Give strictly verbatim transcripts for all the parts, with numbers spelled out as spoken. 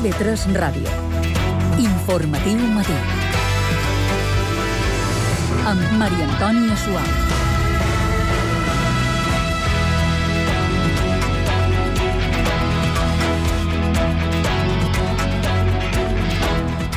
I V tres Ràdio. Informatiu matí. Amb Maria Antònia Suau.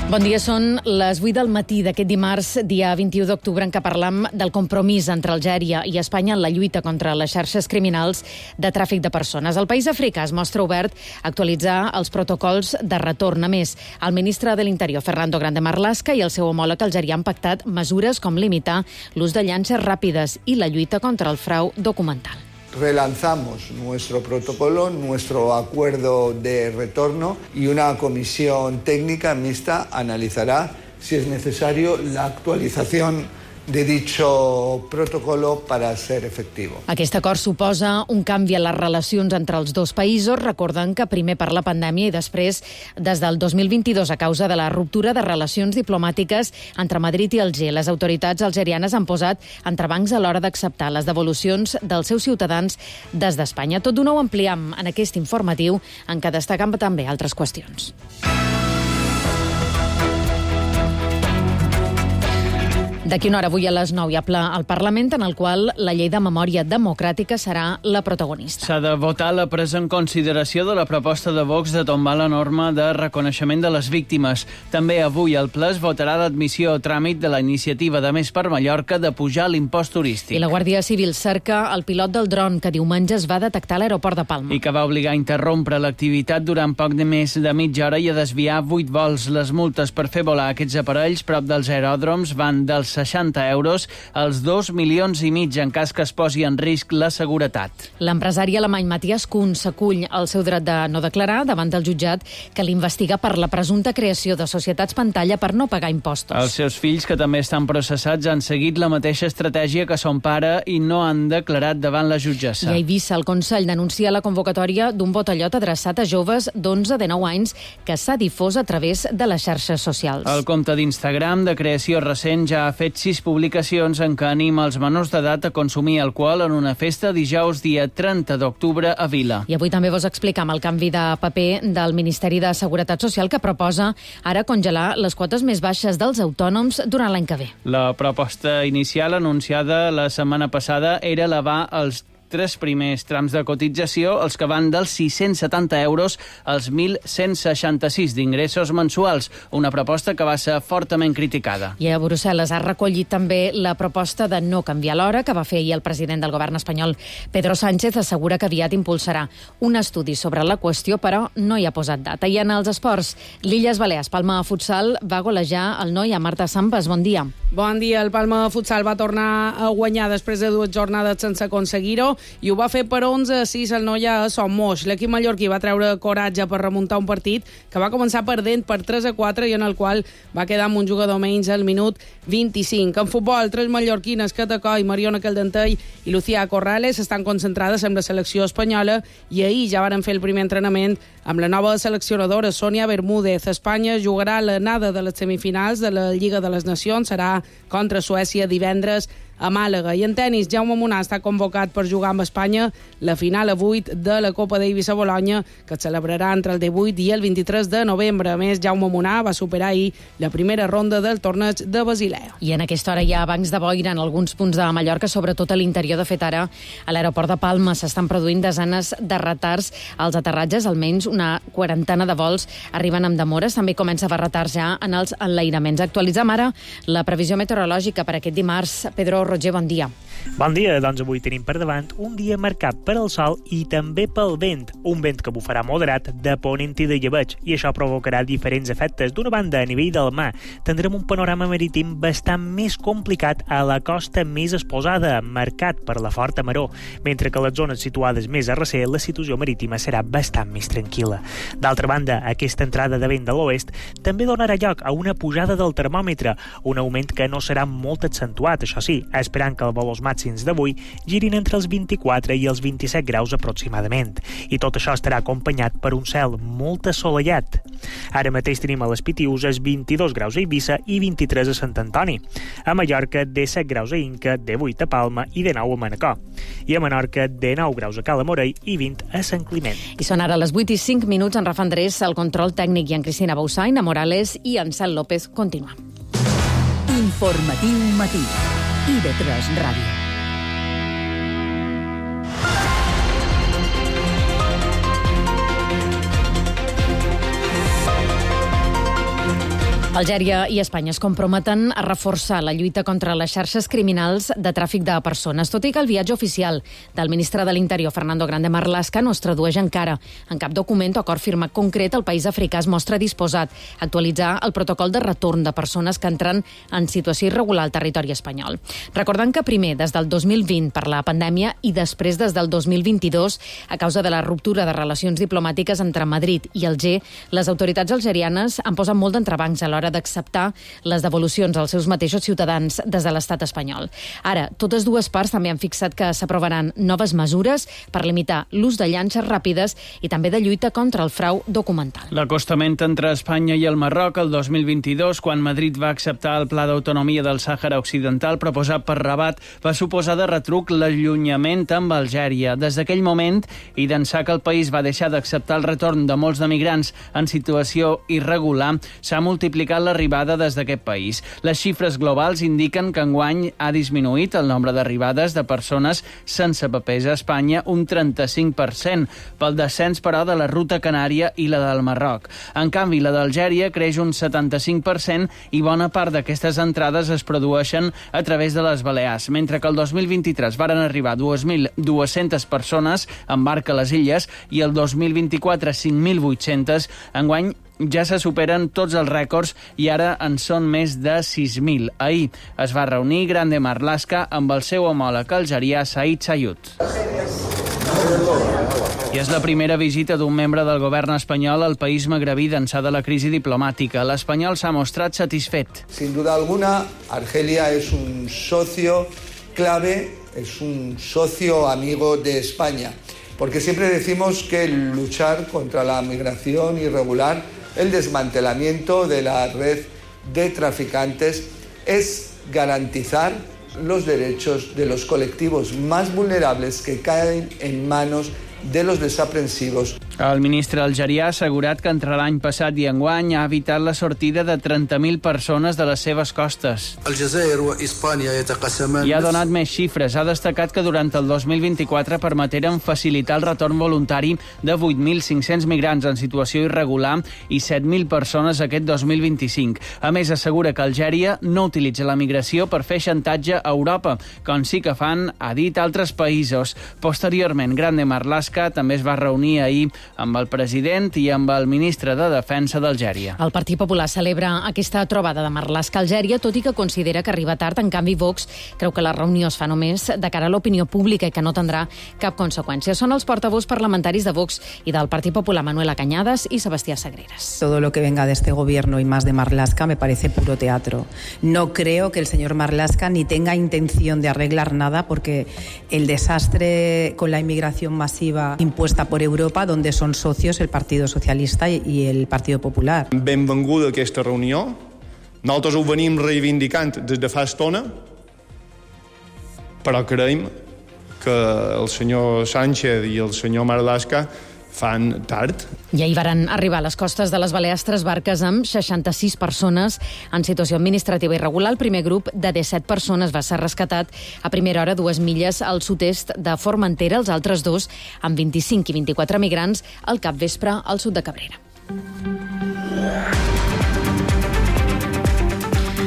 Bon dia, són les vuit del matí d'aquest dimarts, dia vint-i-u d'octubre, en què parlam del compromís entre Algèria i Espanya en la lluita contra les xarxes criminals de tràfic de persones. El país africà es mostra obert a actualitzar els protocols de retorn. A més, el ministre de l'Interior, Fernando Grande Marlaska, i el seu homòleg algerià han pactat mesures com limitar l'ús de llances ràpides i la lluita contra el frau documental. Relanzamos nuestro protocolo, nuestro acuerdo de retorno y una comisión técnica mixta analizará si es necesario la actualización de dicho protocolo para ser efectivo. Aquest acord suposa un canvi en les relacions entre els dos països, recordant que primer per la pandèmia i després des del dos mil vint-i-dos a causa de la ruptura de relacions diplomàtiques entre Madrid i Alger. Les autoritats algerianes han posat entrebancs a l'hora d'acceptar les devolucions dels seus ciutadans des d'Espanya. Tot d'una ho ampliem en aquest informatiu, en què destaquen també altres qüestions. D'aquí una hora, avui a les nou, hi ha ple al Parlament, en el qual la llei de memòria democràtica serà la protagonista. S'ha de votar la presa en consideració de la proposta de Vox de tombar la norma de reconeixement de les víctimes. També avui al ple es votarà l'admissió a tràmit de la iniciativa de Més per Mallorca de pujar l'impost turístic. I la Guàrdia Civil cerca el pilot del dron que diumenge es va detectar a l'aeroport de Palma. I que va obligar a interrompre l'activitat durant poc de més de mitja hora i a desviar vuit vols. Les multes per fer volar aquests aparells prop dels aeròdroms van dels seixanta euros als dos milions i mig en cas que es posi en risc la seguretat. L'empresari alemany Matthias Kuhn s'acull al seu dret de no declarar davant del jutjat que l'investiga per la presumpta creació de societats pantalla per no pagar impostos. Els seus fills, que també estan processats, han seguit la mateixa estratègia que son pare i no han declarat davant la jutgessa. I a Eivissa, el Consell denuncia la convocatòria d'un botellot adreçat a joves d'onze a dinou anys que s'ha difós a través de les xarxes socials. El compte d'Instagram de creació recent ja ha fet sis publicacions en què anima els menors d'edat a consumir alcohol en una festa dijous dia trenta d'octubre a Vila. I avui també vos explicam el canvi de paper del Ministeri de Seguretat Social que proposa ara congelar les quotes més baixes dels autònoms durant l'any que ve. La proposta inicial anunciada la setmana passada era elevar els tres primers trams de cotització, els que van dels sis-cents setanta euros als mil cent seixanta-sis d'ingressos mensuals, una proposta que va ser fortament criticada. I a Brussel·les ha recollit també la proposta de no canviar l'hora que va fer ahir el president del govern espanyol, Pedro Sánchez. Assegura que aviat impulsarà un estudi sobre la qüestió, però no hi ha posat data. I en els esports, l'Illes Balears Palma Futsal va golejar el noi a Marta Sambas. Bon dia. Bon dia. El Palma Futsal va tornar a guanyar després de dues jornades sense aconseguir-ho i ho va fer per onze a sis el Noia a Son Moix. L'equip mallorquí va treure coratge per remuntar un partit que va començar perdent per tres a quatre i en el qual va quedar amb un jugador menys al minut vint-i-cinc. En futbol, tres mallorquines, Cata Coll, Mariona Caldentell i Lucía Corrales estan concentrades amb la selecció espanyola i ahir ja varen fer el primer entrenament amb la nova seleccionadora Sònia Bermúdez. Espanya jugarà l'anada de les semifinals de la Lliga de les Nacions, serà contra Suècia divendres a Màlaga. I en tenis, Jaume Munà està convocat per jugar amb Espanya la final a vuit de la Copa Davis a Bologna, que es celebrarà entre el divuit i el vint-i-tres de novembre. A més, Jaume Munà va superar ahir la primera ronda del torneig de Basilea. I en aquesta hora hi ha bancs de boira en alguns punts de Mallorca, sobretot a l'interior. De fet, ara a l'aeroport de Palma s'estan produint desenes de retards als aterratges, almenys una quarantena de vols arriben amb demores. També comença a haver retards ja en els enlairaments. Actualitzem ara la previsió meteorològica per aquest dimarts. Pedro Roger, bon dia. Bon dia, doncs avui tenim per davant un dia marcat per al sol i també pel vent, un vent que bufarà moderat de ponent i de llebeig, i això provocarà diferents efectes. D'una banda, a nivell del mar, tindrem un panorama marítim bastant més complicat a la costa més exposada, marcat per la forta maró, mentre que a les zones situades més a recer la situació marítima serà bastant més tranquil·la. D'altra banda, aquesta entrada de vent de l'oest també donarà lloc a una pujada del termòmetre, un augment que no serà molt accentuat, això sí, esperant que els valors màxims d'avui girin entre els vint-i-quatre i els vint-i-set graus aproximadament. I tot això estarà acompanyat per un cel molt assolellat. Ara mateix tenim a les Pitiüses vint-i-dos graus a Eivissa i vint-i-tres a Sant Antoni. A Mallorca, disset graus a Inca, divuit a Palma i dinou a Manacor. I a Menorca, dinou graus a Cala Morell i vint a Sant Climent. I són ara les vuit i cinc minuts. En Rafa Andrés, el control tècnic, i en Cristina Bausà, Ina Morales i en Cel López. Continuem. Informatiu matí. I de tres Ràdio. Algèria i Espanya es comprometen a reforçar la lluita contra les xarxes criminals de tràfic de persones, tot i que el viatge oficial del ministre de l'Interior, Fernando Grande Marlaska, no es tradueix encara. En cap document o acord firmat concret, el país africà es mostra disposat a actualitzar el protocol de retorn de persones que entren en situació irregular al territori espanyol. Recordant que primer, des del dos mil vint, per la pandèmia, i després des del dos mil vint-i-dos, a causa de la ruptura de relacions diplomàtiques entre Madrid i Alger, les autoritats algerianes han posat molt d'entrebancs a l'hora d'acceptar les devolucions als seus mateixos ciutadans des de l'estat espanyol. Ara, totes dues parts també han fixat que s'aprovaran noves mesures per limitar l'ús de llanxes ràpides i també de lluita contra el frau documental. L'acostament entre Espanya i el Marroc el dos mil vint-i-dos, quan Madrid va acceptar el Pla d'Autonomia del Sàhara Occidental proposat per Rabat, va suposar de retruc l'allunyament amb Algèria. Des d'aquell moment, i d'ençà que el país va deixar d'acceptar el retorn de molts de migrants en situació irregular, s'ha multiplicat l'arribada des d'aquest país. Les xifres globals indiquen que enguany ha disminuït el nombre d'arribades de persones sense papers a Espanya un trenta-cinc per cent, pel descens, però, de la ruta canària i la del Marroc. En canvi, la d'Algèria creix un setanta-cinc per cent i bona part d'aquestes entrades es produeixen a través de les Balears, mentre que el dos mil vint-i-tres varen arribar dos mil dues-centes persones en barca a les illes i el dos mil vint-i-quatre cinc mil vuit-centes. Enguany ja se superen tots els rècords i ara en són més de sis mil. Ahir es va reunir Grande Marlaska amb el seu homòleg algerià Saïd Sayut. I és la primera visita d'un membre del govern espanyol al país magrebí d'ençà de la crisi diplomàtica. L'espanyol s'ha mostrat satisfet. Sin duda alguna, Argelia es un socio clave, es un socio amigo de España, porque siempre decimos que luchar contra la migración irregular, el desmantelamiento de la red de traficantes, es garantizar los derechos de los colectivos más vulnerables que caen en manos de los desaprensivos. El ministre algerià ha assegurat que entre l'any passat i enguany ha evitat la sortida de trenta mil persones de les seves costes. I ha donat més xifres. Ha destacat que durant el dos mil vint-i-quatre permeteren facilitar el retorn voluntari de vuit mil cinc-cents migrants en situació irregular i set mil persones aquest dos mil vint-i-cinc. A més, assegura que Algèria no utilitza la migració per fer xantatge a Europa, com sí que fan, ha dit, altres països. Posteriorment, Grande Marlaska també es va reunir ahir amb el president i amb el ministre de Defensa d'Algèria. El Partit Popular celebra aquesta trobada de Marlaska a Algèria, tot i que considera que arriba tard. En canvi, Vox creu que la reunió es fa només de cara a l'opinió pública i que no tindrà cap conseqüència. Són els portaveus parlamentaris de Vox i del Partit Popular, Manuela Cañadas i Sebastià Sagreras. Todo lo que venga de este gobierno y más de Marlaska me parece puro teatro. No creo que el señor Marlaska ni tenga intención de arreglar nada, porque el desastre con la inmigración masiva impuesta por Europa, donde son socios el Partido Socialista i el Partido Popular. Benvinguda aquesta reunió. Nosaltres ho venim reivindicant des de fa estona, però creiem que el senyor Sánchez i el senyor Marlaska fan tard. I ahir varen arribar a les costes de les Balears tres barques amb seixanta-sis persones en situació administrativa irregular. El primer grup de disset persones va ser rescatat a primera hora dues milles al sud-est de Formentera, els altres dos, amb vint-i-cinc i vint-i-quatre migrants, al capvespre al sud de Cabrera.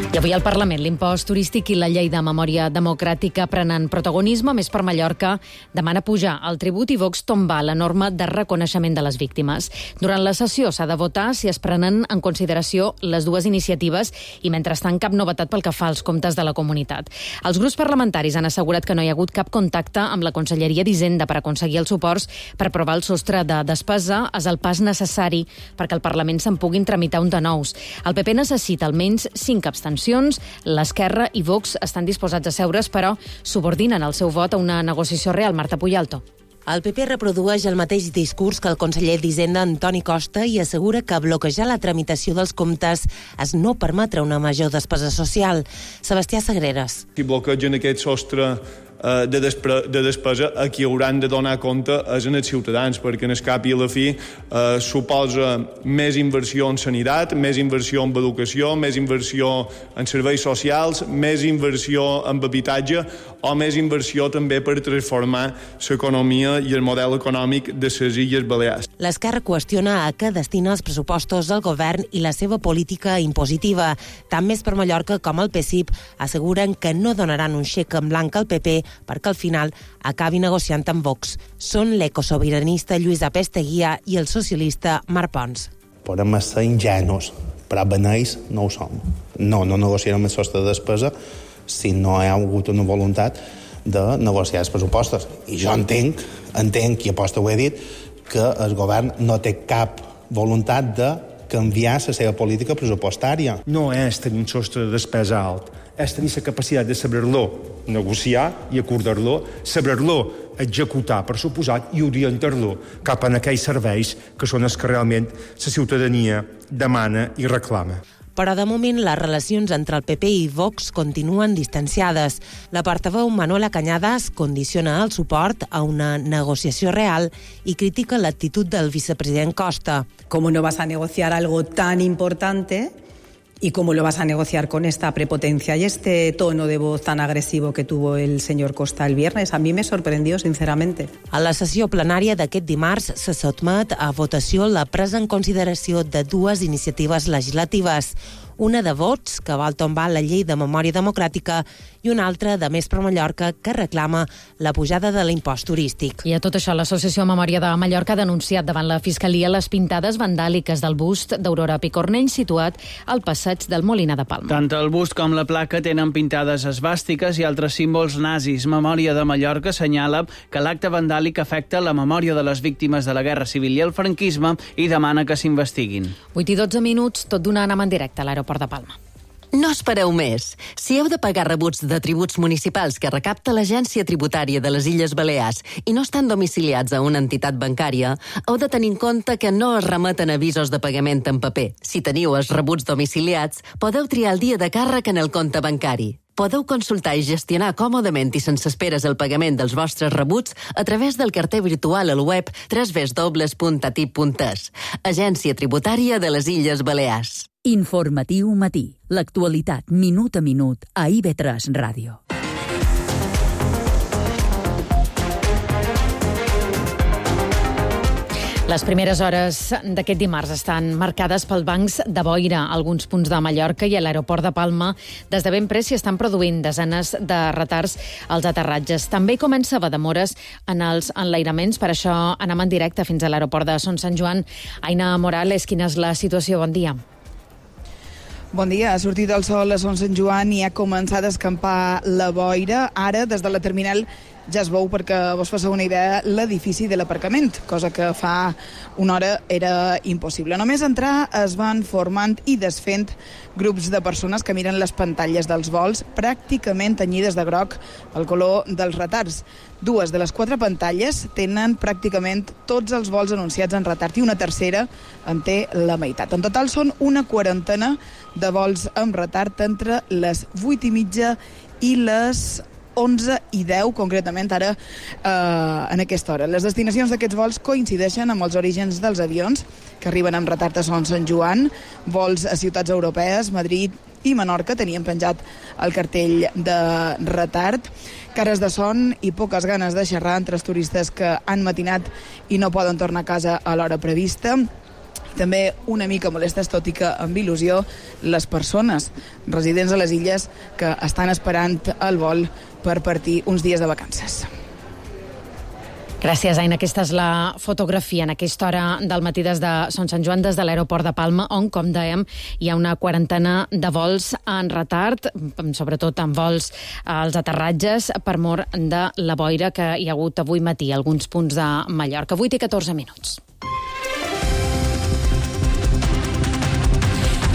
I avui al Parlament l'impost turístic i la llei de memòria democràtica prenen protagonisme. Més per Mallorca demana pujar el tribut i Vox tombar la norma de reconeixement de les víctimes. Durant la sessió s'ha de votar si es prenen en consideració les dues iniciatives i, mentrestant, cap novetat pel que fa als comptes de la comunitat. Els grups parlamentaris han assegurat que no hi ha hagut cap contacte amb la Conselleria d'Hisenda per aconseguir els suports per aprovar el sostre de despesa. És el pas necessari perquè al Parlament se'n puguin tramitar un de nous. El P P necessita almenys cinc abstencions negociacions. L'Esquerra i Vox estan disposats a seure's, però subordinen el seu vot a una negociació real. Marta Puyalto. El P P reprodueix el mateix discurs que el conseller d'Hisenda Antoni Costa i assegura que bloquejar la tramitació dels comptes és no permetre una major despesa social. Sebastià Sagreras. Si bloquegen aquest sostre de, despre, de despesa, a qui hauran de donar compte és en els ciutadans, perquè en el cap i a la fi eh, suposa més inversió en sanitat, més inversió en educació, més inversió en serveis socials, més inversió en habitatge o més inversió també per transformar l'economia i el model econòmic de les Illes Balears. L'Esquerra qüestiona a què destina els pressupostos del govern i la seva política impositiva. Tant Més per Mallorca com el P S I P asseguren que no donaran un xec en blanc al P P perquè al final acabi negociant amb Vox. Són l'ecosobiranista Lluís Apesteguia i el socialista Marc Pons. Podem ser ingenus, però beneix no ho som. No, no negociarem el sostre de despesa si no hi ha hagut una voluntat de negociar els pressupostos. I jo entenc, entenc, i aposta ho he dit, que el govern no té cap voluntat de canviar la seva política pressupostària. No és tenir un sostre de despesa alt, és tenir la capacitat de saber-lo negociar i acordar-lo, saber-lo executar, per suposat, i orientar-lo cap a aquells serveis que són els que realment la ciutadania demana i reclama. Però de moment les relacions entre el P P i Vox continuen distanciades. La portaveu Manuela Cañadas condiciona el suport a una negociació real i critica l'actitud del vicepresident Costa. ¿Cómo no vas a negociar algo tan importante? ¿Y cómo lo vas a negociar con esta prepotencia y este tono de voz tan agresivo que tuvo el señor Costa el viernes? A mí me sorprendió, sinceramente. A la sessió plenària d'aquest dimarts se sotmet a votació la presa en consideració de dues iniciatives legislatives. Una de Vots, que vol tombar la llei de memòria democràtica, i una altra de Més per Mallorca, que reclama la pujada de l'impost turístic. I a tot això, l'Associació Memòria de Mallorca ha denunciat davant la Fiscalia les pintades vandàliques del bust d'Aurora Picornell situat al passeig del Molina de Palma. Tant el bust com la placa tenen pintades esvàstiques i altres símbols nazis. Memòria de Mallorca assenyala que l'acte vandàlic afecta la memòria de les víctimes de la Guerra Civil i el franquisme i demana que s'investiguin. vuit i dotze minuts, tot d'una anam en directe a l'aeroport de Palma. No espereu més. Si heu de pagar rebuts de tributs municipals que recapta l'Agència Tributària de les Illes Balears i no estan domiciliats a una entitat bancària, heu de tenir en compte que no es remeten avisos de pagament en paper. Si teniu els rebuts domiciliats, podeu triar el dia de càrrec en el compte bancari. Podeu consultar i gestionar còmodament i sense esperes el pagament dels vostres rebuts a través del carter virtual al web w w w punt a t i p punt e s. Agència Tributària de les Illes Balears. Informatiu matí. L'actualitat minut a minut a I V tres Ràdio. Les primeres hores d'aquest dimarts estan marcades pel bancs de boira a alguns punts de Mallorca i a l'aeroport de Palma. Des de ben près s'hi estan produint desenes de retards als aterratges. També comença a haver demores en els enlairaments, per això anem en directe fins a l'aeroport de Son Sant Joan. Aina Morales, quina és la situació? Bon dia. Bon dia. Ha sortit el sol a Son Sant Joan i ha començat a escampar la boira. Ara, des de la terminal, ja es veu, perquè vos passeu una idea, l'edifici de l'aparcament, cosa que fa una hora era impossible. Només entrar es van formant i desfent grups de persones que miren les pantalles dels vols, pràcticament tenyides de groc el color dels retards. Dues de les quatre pantalles tenen pràcticament tots els vols anunciats en retard i una tercera en té la meitat. En total són una quarantena de vols amb retard entre les vuit i mitja i les onze i deu, concretament ara eh, en aquesta hora. Les destinacions d'aquests vols coincideixen amb els orígens dels avions que arriben amb retard a Son Sant Joan, vols a ciutats europees, Madrid i Menorca tenien penjat el cartell de retard, cares de son i poques ganes de xerrar entre els turistes que han matinat i no poden tornar a casa a l'hora prevista. També una mica molestes, tot i que amb il·lusió, les persones residents a les illes que estan esperant el vol per partir uns dies de vacances. Gràcies, Aina. Aquesta és la fotografia en aquesta hora del matí des de Son Sant Joan, des de l'aeroport de Palma, on, com dèiem, hi ha una quarantena de vols en retard, sobretot en vols als aterratges, per mor de la boira que hi ha hagut avui matí a alguns punts de Mallorca. vuit i catorze minuts.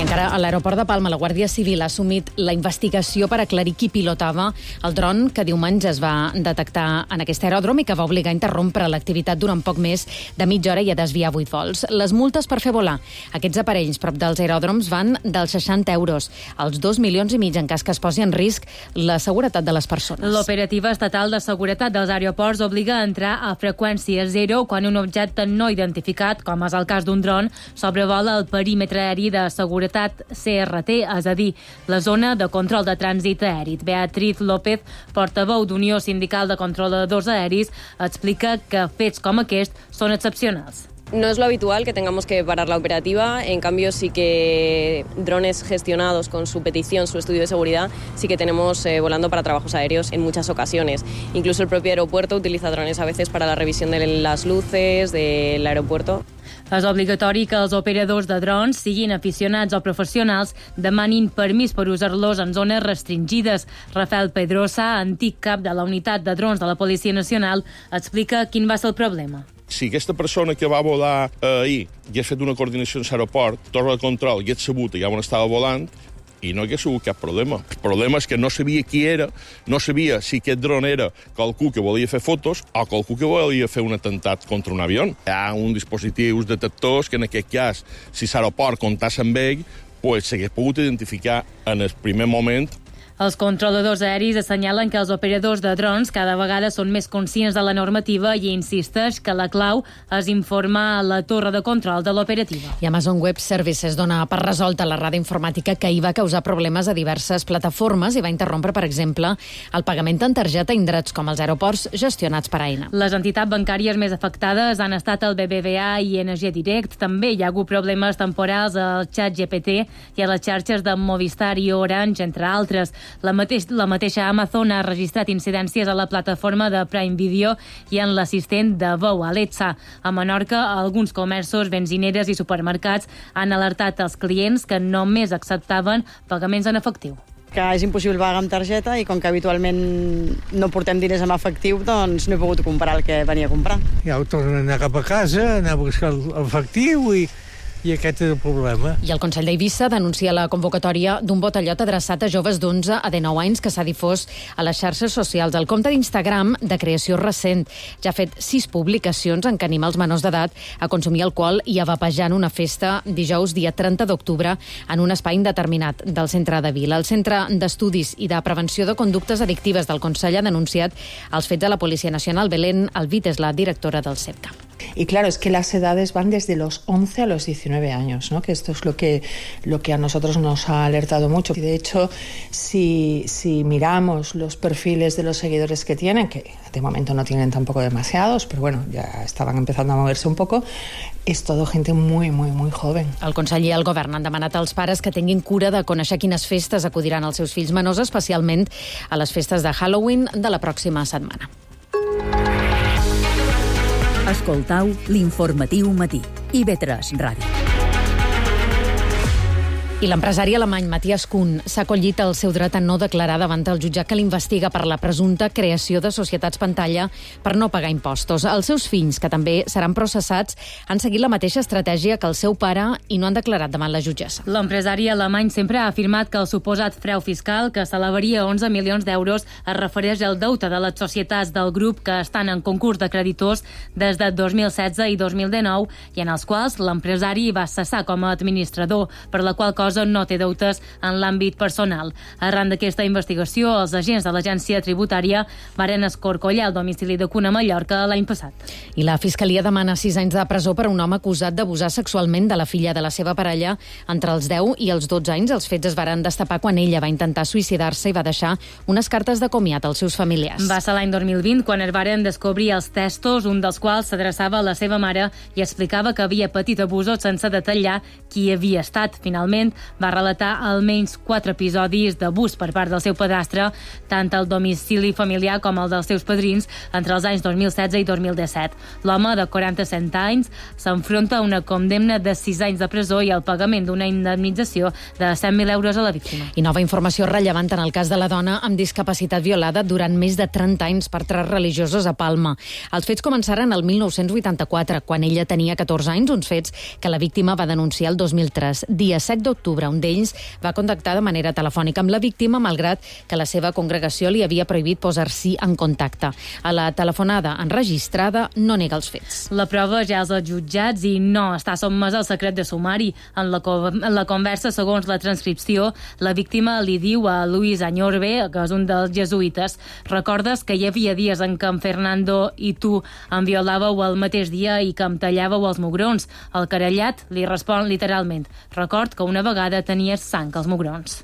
Encara a l'aeroport de Palma, la Guàrdia Civil ha assumit la investigació per aclarir qui pilotava el dron que diumenge es va detectar en aquest aeròdrom i que va obligar a interrompre l'activitat durant poc més de mitja hora i a desviar vuit vols. Les multes per fer volar aquests aparells prop dels aeròdroms van dels seixanta euros als dos milions i mig en cas que es posi en risc la seguretat de les persones. L'Operativa Estatal de Seguretat dels Aeroports obliga a entrar a freqüència zero quan un objecte no identificat, com és el cas d'un dron, sobrevola el perímetre aeri de seguretat C R T, és a dir, la zona de control de trànsit aeri. Beatriz López, portaveu d'Unió Sindical de Controladors Aeris, explica que fets com aquest són excepcionals. No es lo habitual que tengamos que parar la operativa, en cambio sí que drones gestionados con su petición, su estudio de seguridad, sí que tenemos eh, volando para trabajos aéreos en muchas ocasiones. Incluso el propio aeropuerto utiliza drones a veces para la revisión de las luces del aeropuerto. És obligatori que els operadors de drons, siguin aficionats o professionals, demanin permís per usar-los en zones restringides. Rafael Pedrosa, antic cap de la unitat de drons de la Policia Nacional, explica quin va ser el problema. Si aquesta persona que va volar eh, ahir hagués fet una coordinació en l'aeroport, torre de control, hagués sabut ja on estava volant, i no hi ha sigut cap problema. El problema és que no sabia qui era, no sabia si aquest dron era qualcú que volia fer fotos o qualcú que volia fer un atemptat contra un avió. Hi ha uns dispositius detectors que en aquest cas, si l'aeroport comptàs amb ell, pues, s'hagués pogut identificar en el primer moment. Els controladors aeris assenyalen que els operadors de drons cada vegada són més conscients de la normativa i insisteix que la clau és informar a la torre de control de l'operativa. I Amazon Web Services dona per resolta la errada informàtica que hi va causar problemes a diverses plataformes i va interrompre, per exemple, el pagament en targeta a indrets com els aeroports gestionats per Aena. Les entitats bancàries més afectades han estat el B B V A i I N G Direct. També hi ha hagut problemes temporals al xat G P T i a les xarxes de Movistar i Orange, entre altres. La, mateix, la mateixa Amazon ha registrat incidències a la plataforma de Prime Video i en l'assistent de veu Alexa. A Menorca, alguns comerços, benzineres i supermercats han alertat els clients que només acceptaven pagaments en efectiu. Que és impossible pagar amb targeta i com que habitualment no portem diners en efectiu, doncs no he pogut comprar el que venia a comprar. Ja ho torno a anar cap a casa, anar a buscar l'efectiu i... i aquest és el problema. I el Consell d'Eivissa denuncia la convocatòria d'un botellot adreçat a joves d'onze a dinou anys que s'ha difós a les xarxes socials. El compte d'Instagram, de creació recent, ja ha fet sis publicacions en què anima els menors d'edat a consumir alcohol i a vapejar en una festa dijous, dia trenta d'octubre, en un espai indeterminat del centre de Vila. El Centre d'Estudis i de Prevenció de Conductes Addictives del Consell ha denunciat els fets a la Policia Nacional. Belén Alvit és la directora del CEPCA. Y claro, es que las edades van desde los once a los diecinueve años, ¿no? Que esto es lo que, lo que a nosotros nos ha alertado mucho. Y de hecho, si, si miramos los perfiles de los seguidores que tienen, que de momento no tienen tampoco demasiados, pero bueno, ya estaban empezando a moverse un poco, és todo gente muy, muy, muy joven. El Consell i el Govern han demanat als pares que tinguin cura de conèixer quines festes acudiran als seus fills menors, especialment a les festes de Halloween de la pròxima setmana. Escoltau l'informatiu matí. I ve tres Ràdio. I l'empresari alemany Matthias Kuhn s'ha acollit el seu dret a no declarar davant el jutjat que l'investiga per la presumpta creació de societats pantalla per no pagar impostos. Els seus fills, que també seran processats, han seguit la mateixa estratègia que el seu pare i no han declarat davant la jutgessa. L'empresari alemany sempre ha afirmat que el suposat frau fiscal, que s'elevaria a onze milions d'euros, es refereix al deute de les societats del grup que estan en concurs de creditors des de dos mil setze i dos mil dinou i en els quals l'empresari va cessar com a administrador, per la qual cosa no té deutes en l'àmbit personal. Arran d'aquesta investigació, els agents de l'agència tributària varen escorcollar el domicili de Kuhn a Mallorca l'any passat. I la Fiscalia demana sis anys de presó per a un home acusat d'abusar sexualment de la filla de la seva parella entre els deu i els dotze anys. Els fets es varen destapar quan ella va intentar suïcidar-se i va deixar unes cartes de comiat als seus familiars. Va ser l'any dos mil vint quan es varen descobrir els testos, un dels quals s'adreçava a la seva mare i explicava que havia patit abusos sense detallar qui havia estat. Finalment, va relatar almenys quatre episodis d'abús per part del seu padrastre, tant al domicili familiar com el dels seus padrins, entre els anys dos mil setze i dos mil disset. L'home, de quaranta-set anys, s'enfronta a una condemna de sis anys de presó i al pagament d'una indemnització de cent mil euros a la víctima. I nova informació rellevant en el cas de la dona amb discapacitat violada durant més de trenta anys per tres religiosos a Palma. Els fets començaren el mil nou-cents vuitanta-quatre, quan ella tenia catorze anys, uns fets que la víctima va denunciar el dos mil tres. Dia set d'octubre. Un d'ells va contactar de manera telefònica amb la víctima, malgrat que la seva congregació li havia prohibit posar-s'hi en contacte. A la telefonada enregistrada no nega els fets. La prova ja és als jutjats i no està sotmesa al secret de sumari. En la, en la conversa, segons la transcripció, la víctima li diu a Luis Añorbe, que és un dels jesuïtes: recordes que hi havia dies en què en Fernando i tu em violàveu el mateix dia i que em tallàveu els mugrons? El querellat li respon literalment: record que una vegada tenies sang als mugrons.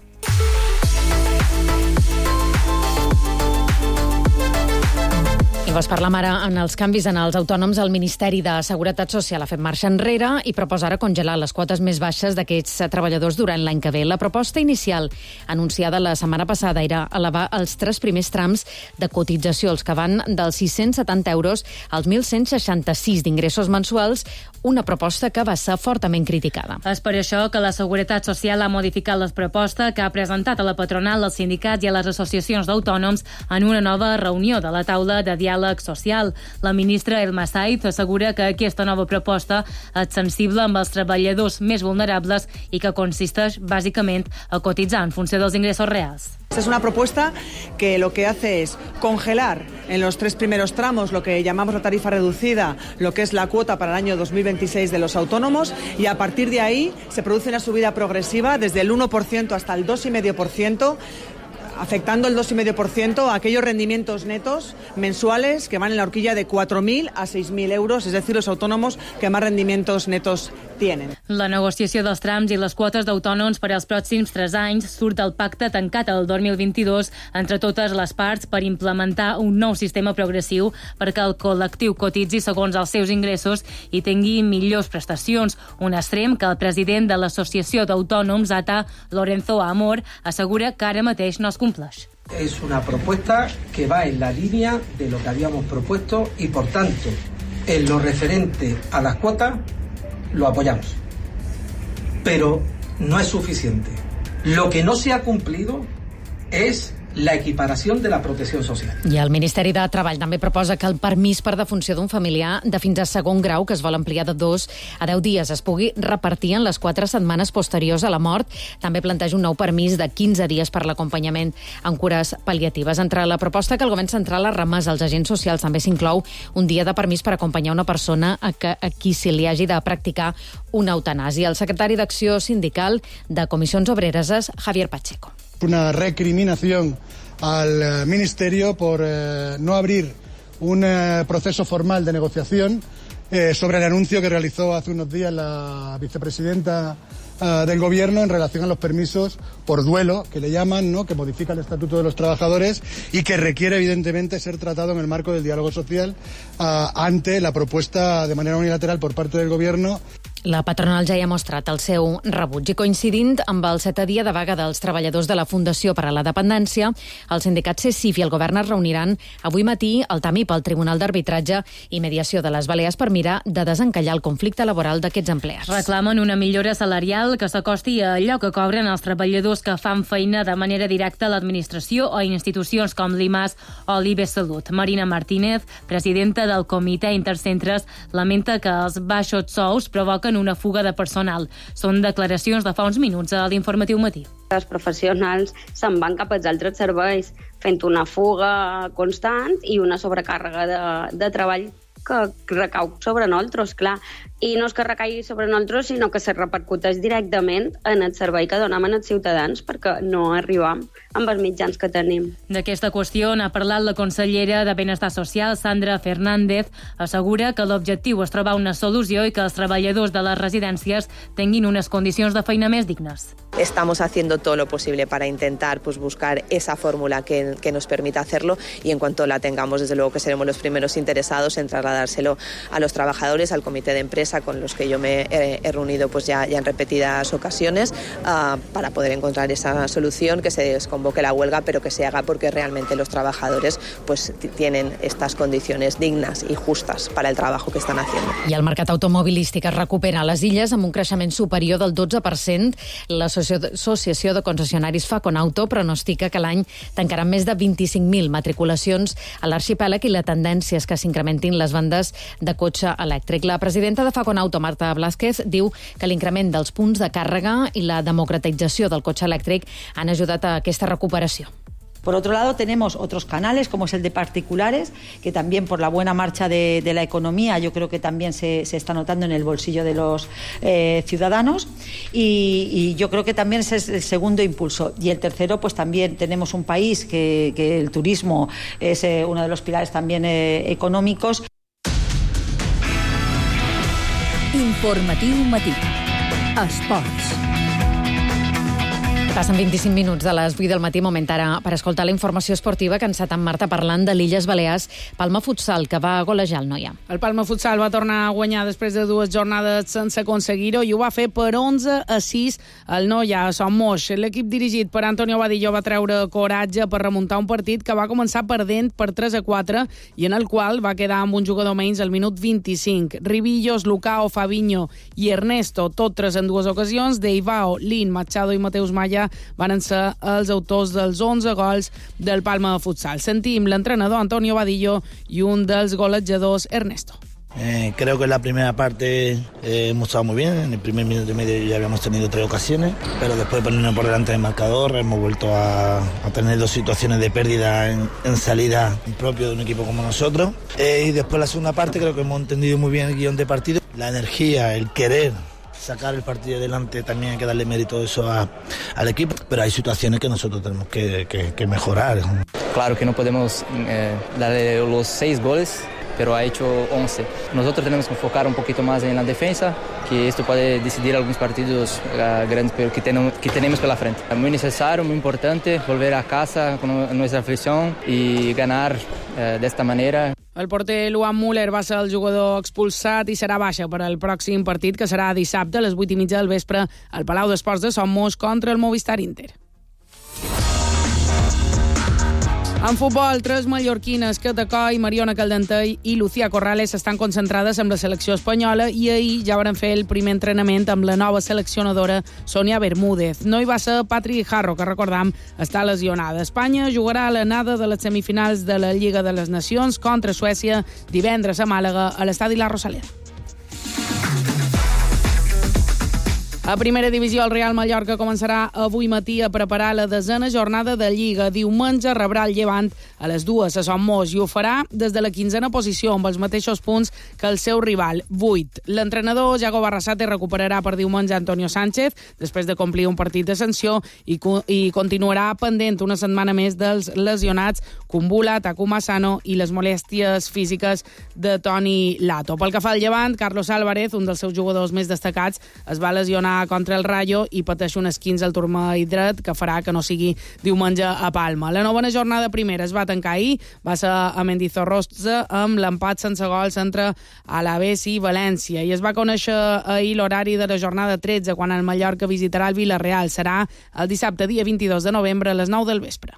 I vos parlam ara en els canvis en els autònoms. El Ministeri de Seguretat Social ha fet marxa enrere i proposa ara congelar les quotes més baixes d'aquests treballadors durant l'any que ve. La proposta inicial, anunciada la setmana passada, era elevar els tres primers trams de cotització, els que van dels sis-cents setanta euros als mil cent seixanta-sis d'ingressos mensuals, una proposta que va ser fortament criticada. És per això que la Seguretat Social ha modificat la proposta que ha presentat a la patronal, als sindicats i a les associacions d'autònoms en una nova reunió de la taula de diàleg social. La ministra Elma Saiz assegura que aquesta nova proposta és sensible amb els treballadors més vulnerables i que consisteix bàsicament a cotitzar en funció dels ingressos reals. Es una propuesta que lo que hace es congelar en los tres primeros tramos lo que llamamos la tarifa reducida, lo que es la cuota para el año dos mil veintiséis de los autónomos, y a partir de ahí se produce una subida progresiva desde el uno por ciento hasta el dos coma cinco por ciento, afectando el dos coma cinco por ciento a aquellos rendimientos netos mensuales que van en la horquilla de cuatro mil a seis mil euros, es decir, los autónomos que más rendimientos netos tienen. La negociació dels trams i les quotes d'autònoms per als pròxims tres anys surt del pacte tancat el dos mil vint-i-dos entre totes les parts per implementar un nou sistema progressiu perquè el col·lectiu cotitzi segons els seus ingressos i tingui millors prestacions. Un extrem que el president de l'Associació d'Autònoms, A T A, Lorenzo Amor, assegura que ara mateix no es compleix. Es una propuesta que va en la línea de lo que habíamos propuesto y, por tanto, en lo referente a las cuotas, lo apoyamos. Pero no es suficiente. Lo que no se ha cumplido es la equiparación de la protecció social. I el Ministeri de Treball també proposa que el permís per defunció d'un familiar de fins a segon grau, que es vol ampliar de dos a deu dies, es pugui repartir en les quatre setmanes posteriors a la mort. També planteja un nou permís de quinze dies per l'acompanyament en cures pal·liatives. Entre la proposta que el govern central ha remès als agents socials també s'inclou un dia de permís per acompanyar una persona a, que, a qui se li hagi de practicar una eutanàsia. El secretari d'Acció Sindical de Comissions Obreres és Javier Pacheco. Una recriminación al Ministerio por eh, no abrir un eh, proceso formal de negociación eh, sobre el anuncio que realizó hace unos días la vicepresidenta eh, del Gobierno en relación a los permisos por duelo, que le llaman, ¿no?, que modifica el Estatuto de los Trabajadores y que requiere evidentemente ser tratado en el marco del diálogo social eh, ante la propuesta de manera unilateral por parte del Gobierno. La patronal ja hi ha mostrat el seu rebuig i, coincidint amb el setè dia de vaga dels treballadors de la Fundació per a la Dependència, el sindicat C E C I F i el govern es reuniran avui matí al T A M I P, el Tribunal d'Arbitratge i Mediació de les Balears, per mirar de desencallar el conflicte laboral d'aquests empleats. Reclamen una millora salarial que s'acosti a allò que cobren els treballadors que fan feina de manera directa a l'administració o institucions com l'I M A S o l'I B Salut. Marina Martínez, presidenta del Comitè Intercentres, lamenta que els baixos sous provoquen una fuga de personal. Són declaracions de fa uns minuts a l'Informatiu Matí. Els professionals se'n van cap als altres serveis, fent una fuga constant i una sobrecàrrega de, de treball que recau sobre nosaltres, clar. I no és que recaigui sobre nosaltres, sinó que se repercuteix directament en el servei que donem als ciutadans perquè no arribam amb els mitjans que tenim. D'aquesta qüestió n'ha parlat la consellera de Benestar Social, Sandra Fernández. Assegura que l'objectiu és trobar una solució i que els treballadors de les residències tinguin unes condicions de feina més dignes. Estamos haciendo todo lo posible para intentar pues, buscar esa fórmula que, que nos permita hacerlo y en cuanto la tengamos, desde luego que seremos los primeros interesados en trasladárselo a los trabajadores, al comité de empresa con los que yo me he, he reunido pues ya, ya en repetidas ocasiones uh, para poder encontrar esa solución, que se desconvoque la huelga, pero que se haga porque realmente los trabajadores pues tienen estas condiciones dignas y justas para el trabajo que están haciendo. I el mercat automobilístic es recupera a les illes amb un creixement superior del dotze per cent. L'Associació de Concessionaris Faconauto pronostica que l'any tancaran més de vint-i-cinc mil matriculacions a l'arxipèlag i la tendència és que s'incrementin les vendes de cotxe elèctric. La presidenta de Faconauto, Marta Blázquez, diu que l'increment dels punts de càrrega i la democratització del cotxe elèctric han ajudat a aquesta recuperació. Por otro lado, tenemos otros canales, como es el de particulares, que también por la buena marcha de, de la economía, yo creo que también se, se está notando en el bolsillo de los eh, ciudadanos. Y, y yo creo que también ese es el segundo impulso. Y el tercero, pues también tenemos un país que, que el turismo es eh, uno de los pilares también eh, económicos. Informatiu Matí. Esports. Passen vint-i-cinc minuts de les vuit del matí, moment ara per escoltar la informació esportiva, que ens en Marta parlant de l'Illes Balears, Palma Futsal, que va golejar el Noia. El Palma Futsal va tornar a guanyar després de dues jornades sense aconseguir-ho i ho va fer per onze a sis el Noia a Son Moix. L'equip dirigit per Antonio Vadillo va treure coratge per remuntar un partit que va començar perdent per tres a quatre i en el qual va quedar amb un jugador menys al minut vint-i-cinc. Ribillos, Lucao, Fabinho i Ernesto, tot tres en dues ocasions. Deivao, Lin, Machado i Mateus Maya van ser els autors dels onze gols del Palma Futsal. Sentim l'entrenador Antonio Vadillo i un dels golejadors, Ernesto. Eh, creo que en la primera parte eh, hemos estado muy bien. En el primer minuto y medio ya habíamos tenido tres ocasiones, pero después de ponernos por delante del marcador hemos vuelto a, a tener dos situaciones de pérdida en, en salida propio de un equipo como nosotros. Eh, y después la segunda parte creo que hemos entendido muy bien el guión de partido. La energía, el querer sacar el partido adelante, también hay que darle mérito eso a, al equipo, pero hay situaciones que nosotros tenemos que, que, que mejorar. Claro que no podemos eh, darle los seis goles, pero ha hecho once. Nosotros tenemos que enfocar un poquito más en la defensa, que esto puede decidir algunos partidos uh, grandes, pero que tenemos, que tenemos pela frente. Es muy necesario, muy importante volver a casa con nuestra afición y ganar uh, de esta manera. El porter Luan Müller va ser el jugador expulsat i serà baixa per al pròxim partit, que serà dissabte a les vuit i mitja del vespre al Palau d'Esports de Son Moix contra el Movistar Inter. En futbol, tres mallorquines, Cata Coll, Mariona Caldentey i Lucía Corrales estan concentrades amb la selecció espanyola i ahir ja van fer el primer entrenament amb la nova seleccionadora Sonia Bermúdez. No hi va ser Patri Jarro, que recordam està lesionada. Espanya jugarà a l'anada de les semifinals de la Lliga de les Nacions contra Suècia divendres a Màlaga a l'estadi La Rosaleda. A primera divisió, el Real Mallorca començarà avui matí a preparar la desena jornada de Lliga. Diumenge rebrà el Llevant a les dues a Son Moix i ho farà des de la quinzena posició, amb els mateixos punts que el seu rival, vuit. L'entrenador Jago Barrasate recuperarà per diumenge Antonio Sánchez, després de complir un partit de sanció, i, i continuarà pendent una setmana més dels lesionats Kumbula, Takuma Asano i les molèsties físiques de Toni Lato. Pel que fa al Llevant, Carlos Álvarez, un dels seus jugadors més destacats, es va lesionar contra el Rayo i pateix un esquinç al turmell dret que farà que no sigui diumenge a Palma. La novena jornada primera es va tancar ahir, va ser a Mendizorroza amb l'empat sense gols entre Alavés i València, i es va conèixer ahir l'horari de la jornada tretze, quan el Mallorca visitarà el Villarreal. Serà el dissabte dia vint-i-dos de novembre a les nou del vespre.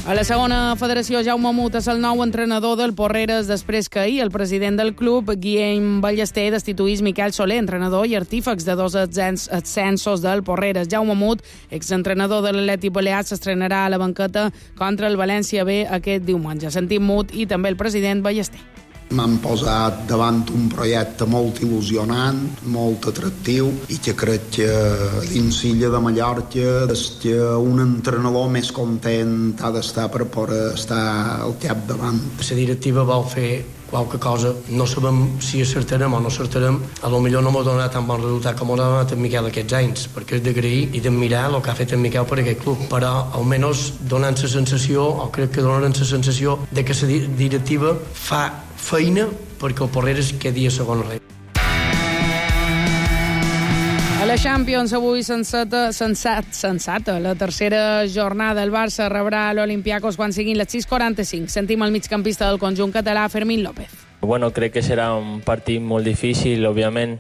A la segona federació, Jaume Mut és el nou entrenador del Porreres després que ahir el president del club, Guillem Ballester, destituís Miquel Soler, entrenador i artífex de dos ascensos del Porreres. Jaume Mut, exentrenador de l'Atlètic Balear, s'estrenarà a la banqueta contra el València B aquest diumenge. Sentim Mut i també el president Ballester. M'han posat davant un projecte molt il·lusionant, molt atractiu, i que crec que dins l'illa de Mallorca és que un entrenador més content ha d'estar per poder estar al capdavant. La directiva vol fer qualque cosa, no sabem si acertarem o no acertarem, a lo millor no m'ha donat tan bon resultat com m'ha donat en Miquel aquests anys, perquè és d'agrair i d'admirar el que ha fet en Miquel per aquest club, però almenys donant la sensació, o crec que donaran la sensació, de que la directiva fa feina perquè el Porreres quedi a segon rei. A la Champions, avui sensata, sensat, sensata, la tercera jornada. El Barça rebrà l'Olympiacos quan siguin les sis quaranta-cinc. Sentim el migcampista del conjunt català, Fermín López. Bueno, crec que serà un partit molt difícil, òbviament.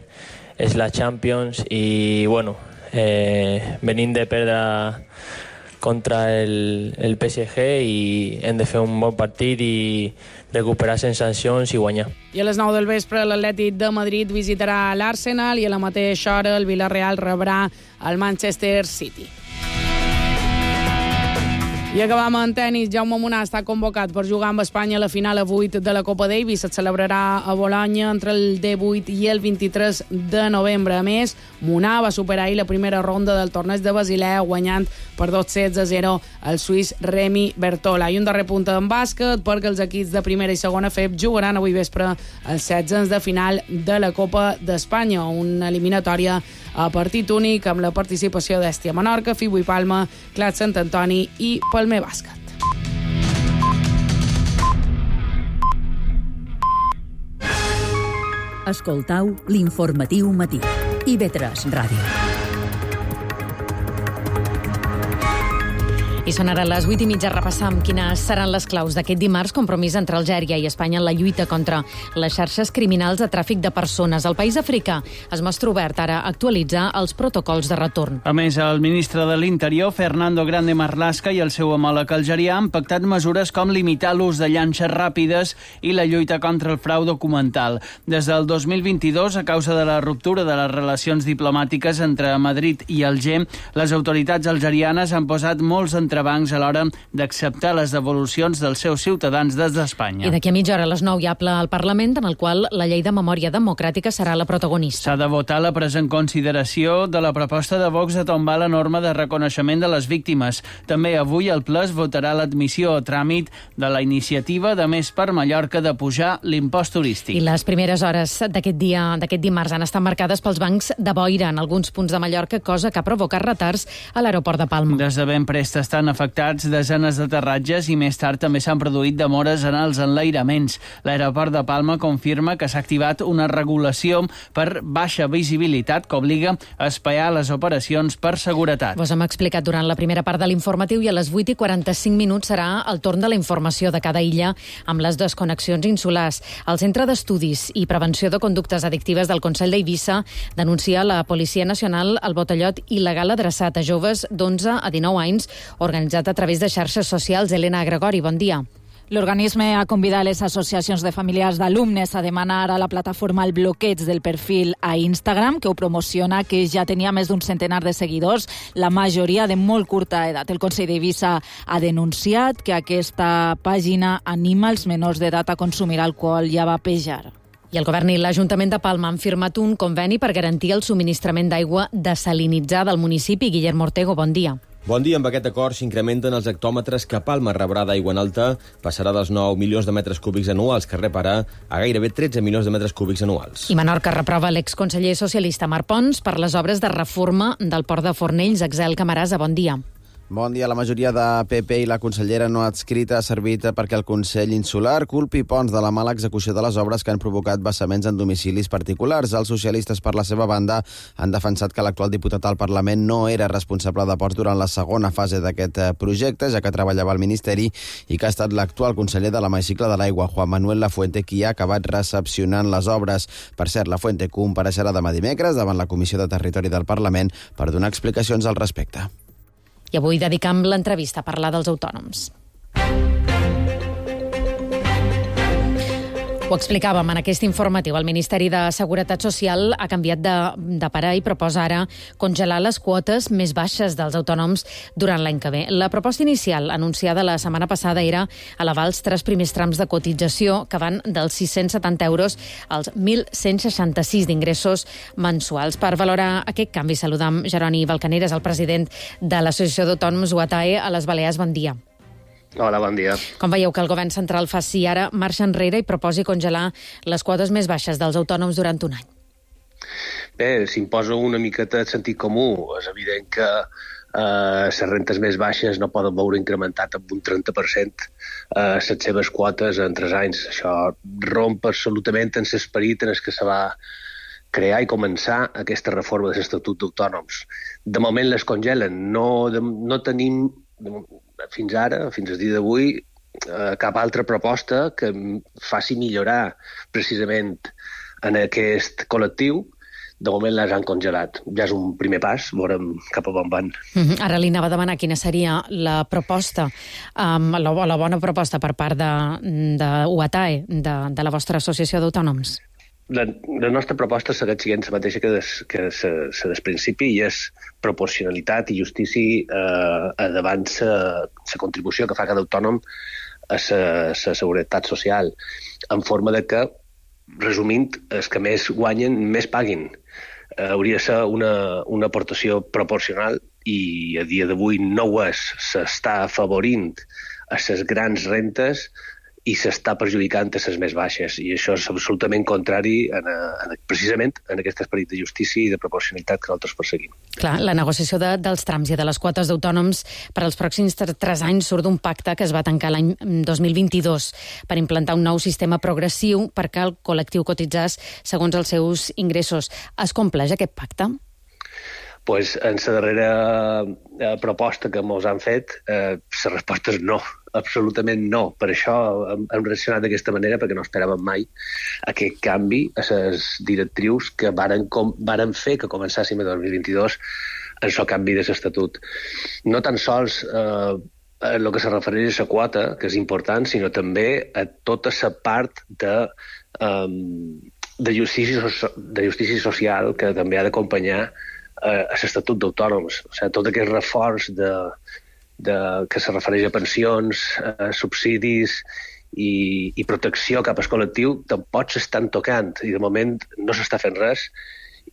És la Champions i, bueno, eh, venim de perdre contra el, el P S G i hem de fer un bon partit i recuperar sensacions i guanyar. I a les nou del vespre l'Atlètic de Madrid visitarà l'Arsenal i a la mateixa hora el Villarreal rebrà el Manchester City. I acabam en tenis. Jaume Munà està convocat per jugar amb Espanya a la final a vuit de la Copa Davis. Es celebrarà a Bolonya entre el divuit i el vint-i-tres de novembre. A més, Munà va superar ahir la primera ronda del torneig de Basilea, guanyant per dos sets a zero el suís Remi Bertola. I un darrer punt en bàsquet, perquè els equips de primera i segona F E B jugaran avui vespre els setzens de final de la Copa d'Espanya, una eliminatòria a partit únic amb la participació d'Èstia Menorca, Fibo i Palma, Clat Sant Antoni i Palmer Bàsquet. Escoltau l'informatiu matí. I ve tres Ràdio. I són ara les vuit i mitja. Repassam quines seran les claus d'aquest dimarts, compromís entre Algèria i Espanya en la lluita contra les xarxes criminals de tràfic de persones. El país africà es mostra obert ara a actualitzar els protocols de retorn. A més, el ministre de l'Interior, Fernando Grande Marlaska, i el seu homòleg algerià han pactat mesures com limitar l'ús de llanxes ràpides i la lluita contra el frau documental. Des del dos mil vint-i-dos, a causa de la ruptura de les relacions diplomàtiques entre Madrid i Alger, les autoritats algerianes han posat molts entrebancs a l'hora d'acceptar les devolucions dels seus ciutadans des d'Espanya. I d'aquí a mitja hora a les nou hi ha ple al Parlament, en el qual la llei de memòria democràtica serà la protagonista. S'ha de votar la presa en consideració de la proposta de Vox de tombar la norma de reconeixement de les víctimes. També avui el ple es votarà l'admissió a tràmit de la iniciativa de Més per Mallorca de pujar l'impost turístic. I les primeres hores d'aquest dia, d'aquest dimarts, han estat marcades pels bancs de boira en alguns punts de Mallorca, cosa que ha provocat retards a l'aeroport de Palma. Des de ben prest estan afectats desenes d'aterratges i més tard també s'han produït demores en els enlairaments. L'aeroport de Palma confirma que s'ha activat una regulació per baixa visibilitat que obliga a espiar les operacions per seguretat. Vos hem explicat durant la primera part de l'informatiu i a les vuit i quaranta-cinc minuts serà el torn de la informació de cada illa amb les desconnexions insulars. El Centre d'Estudis i Prevenció de Conductes Addictives del Consell d'Eivissa denuncia a la Policia Nacional el botellot il·legal adreçat a joves d'onze a dinou anys, organitzat a través de xarxes socials. Elena Gregori, bon dia. L'organisme ha convidat les associacions de familiars d'alumnes a demanar a la plataforma el bloqueig del perfil a Instagram, que ho promociona, que ja tenia més d'un centenar de seguidors, la majoria de molt curta edat. El Consell d'Eivissa ha denunciat que aquesta pàgina anima els menors d'edat a consumir alcohol i a vapejar. I el govern i l'Ajuntament de Palma han firmat un conveni per garantir el subministrament d'aigua desalinitzada al municipi. Guillermo Ortego, bon dia. Bon dia. Amb aquest acord s'incrementen els hectòmetres que Palma rebrà d'aigua en alta. Passarà dels nou milions de metres cúbics anuals que rep ara a gairebé tretze milions de metres cúbics anuals. I Menorca reprova l'exconseller socialista Marc Pons per les obres de reforma del port de Fornells. Axel Camarasa, bon dia. Bon dia. La majoria de P P i la consellera no adscrita ha servit perquè el Consell Insular culpi Pons de la mala execució de les obres que han provocat vessaments en domicilis particulars. Els socialistes, per la seva banda, han defensat que l'actual diputat al Parlament no era responsable de ports durant la segona fase d'aquest projecte, ja que treballava al Ministeri, i que ha estat l'actual conseller de l'Hemicicle de l'Aigua, Juan Manuel Lafuente, qui ha acabat recepcionant les obres. Per cert, Lafuente compareixerà demà dimecres davant la Comissió de Territori del Parlament per donar explicacions al respecte. I avui dedicam l'entrevista a parlar dels autònoms. Ho explicàvem en aquest informatiu. El Ministeri de Seguretat Social ha canviat de, de parer i proposa ara congelar les quotes més baixes dels autònoms durant l'any que ve. La proposta inicial, anunciada la setmana passada, era elevar els tres primers trams de cotització, que van dels sis-cents setanta euros als mil cent seixanta-sis d'ingressos mensuals. Per valorar aquest canvi, saludam Jeroni Balcaneres, el president de l'Associació d'Autònoms U A T A E a les Balears. Bon dia. Hola, bon dia. Com veieu que el govern central faci ara marxa enrere i proposi congelar les quotes més baixes dels autònoms durant un any? Bé, s'imposa una miqueta de sentit comú. És evident que eh, les rentes més baixes no poden veure incrementat amb un trenta per cent eh, les seves quotes en tres anys. Això romp absolutament en l'esperit en el que se va crear i començar aquesta reforma de l'Estatut d'Autònoms. De moment les congelen. No, de, no tenim... De, fins ara, fins al dia d'avui, eh, cap altra proposta que faci millorar precisament en aquest col·lectiu. De moment les han congelat. Ja és un primer pas, veurem cap a on van. Mm-hmm. Ara li anava a demanar quina seria la proposta, um, la, la bona proposta per part de, de U A T A E, de, de la vostra associació d'autònoms. la, la nostra proposta segueix sent la mateixa que des, que se, se des principi, i és proporcionalitat i justícia eh, davant la contribució que fa cada autònom a la seguretat social, en forma de que, resumint, els que més guanyen, més paguin. Eh, hauria de ser una, una aportació proporcional, i a dia d'avui no ho és. S'està afavorint a les grans rentes i s'està perjudicant a les més baixes, i això és absolutament contrari en, en, precisament en aquest esperit de justícia i de proporcionalitat que nosaltres perseguim. Clar, la negociació de, dels trams i de les quotes d'autònoms per als pròxims tres anys surt d'un pacte que es va tancar l'any dos mil vint-i-dos per implantar un nou sistema progressiu perquè el col·lectiu cotitzés segons els seus ingressos. Es compleix aquest pacte? Pues en la darrera eh, proposta que ens han fet, eh, la resposta és no, absolutament no. Per això hem, hem reaccionat d'aquesta manera, perquè no esperàvem mai aquest canvi a les directrius que varen, com, varen fer que començàssim el dos mil vint-i-dos en el canvi de l'estatut. No tan sols eh, en el que se refereix a la quota, que és important, sinó també a tota la part de, um, de, justícia, de justícia social que també ha d'acompanyar a l'Estatut d'Autònoms. O sigui, tot aquest reforç de, de, que se refereix a pensions, a subsidis i, i protecció cap al col·lectiu tampoc s'estan tocant, i de moment no s'està fent res,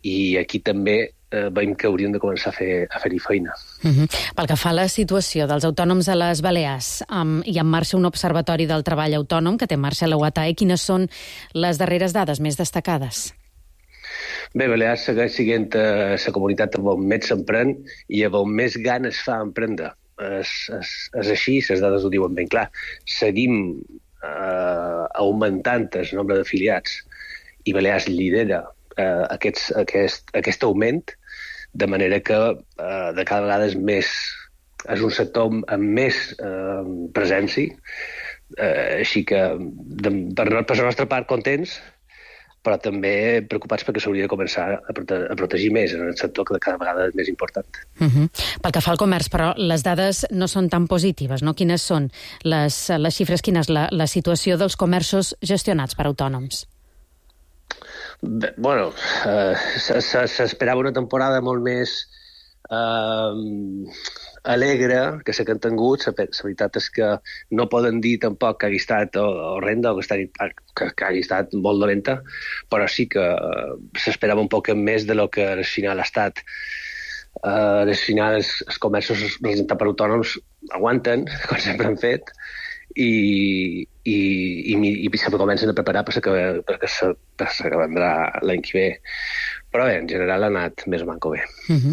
i aquí també eh, veiem que hauríem de començar a fer a fer-hi feina. Uh-huh. Pel que fa a la situació dels autònoms a les Balears, um, hi ha en marxa un observatori del treball autònom que té en marxa la U A T A E. Quines són les darreres dades més destacades? Bé, Balears segueix sent la comunitat on més s'emprèn i on més ganes fa emprendre. És, és, és així, les dades ho diuen ben clar. Seguim eh, augmentant el nombre d'afiliats i Balears lidera eh, aquests, aquest, aquest augment, de manera que eh, de cada vegada és més, és un sector amb més eh, presència, eh, així que de, per, per la nostra part contents, però també preocupats perquè s'hauria de començar a, prote a protegir més en el sector, que cada vegada és més important. Uh-huh. Pel que fa al comerç, però, les dades no són tan positives, no? Quines són les, les xifres, quina és la, la situació dels comerços gestionats per autònoms? Bé, bueno, eh, s'esperava una temporada molt més eh, alegre que la que han tingut. La veritat és que no poden dir tampoc que hagi estat horrenda o que, estat, que, que hagi estat molt dolenta, però sí que uh, s'esperava un poc més de lo que al final ha estat. Uh, al final els, els comerços representats per autònoms aguanten, com sempre han fet, i, i, i, i se comencen a preparar per la que vendrà l'any que ve. Però bé, en general ha anat més manco bé. Uh-huh.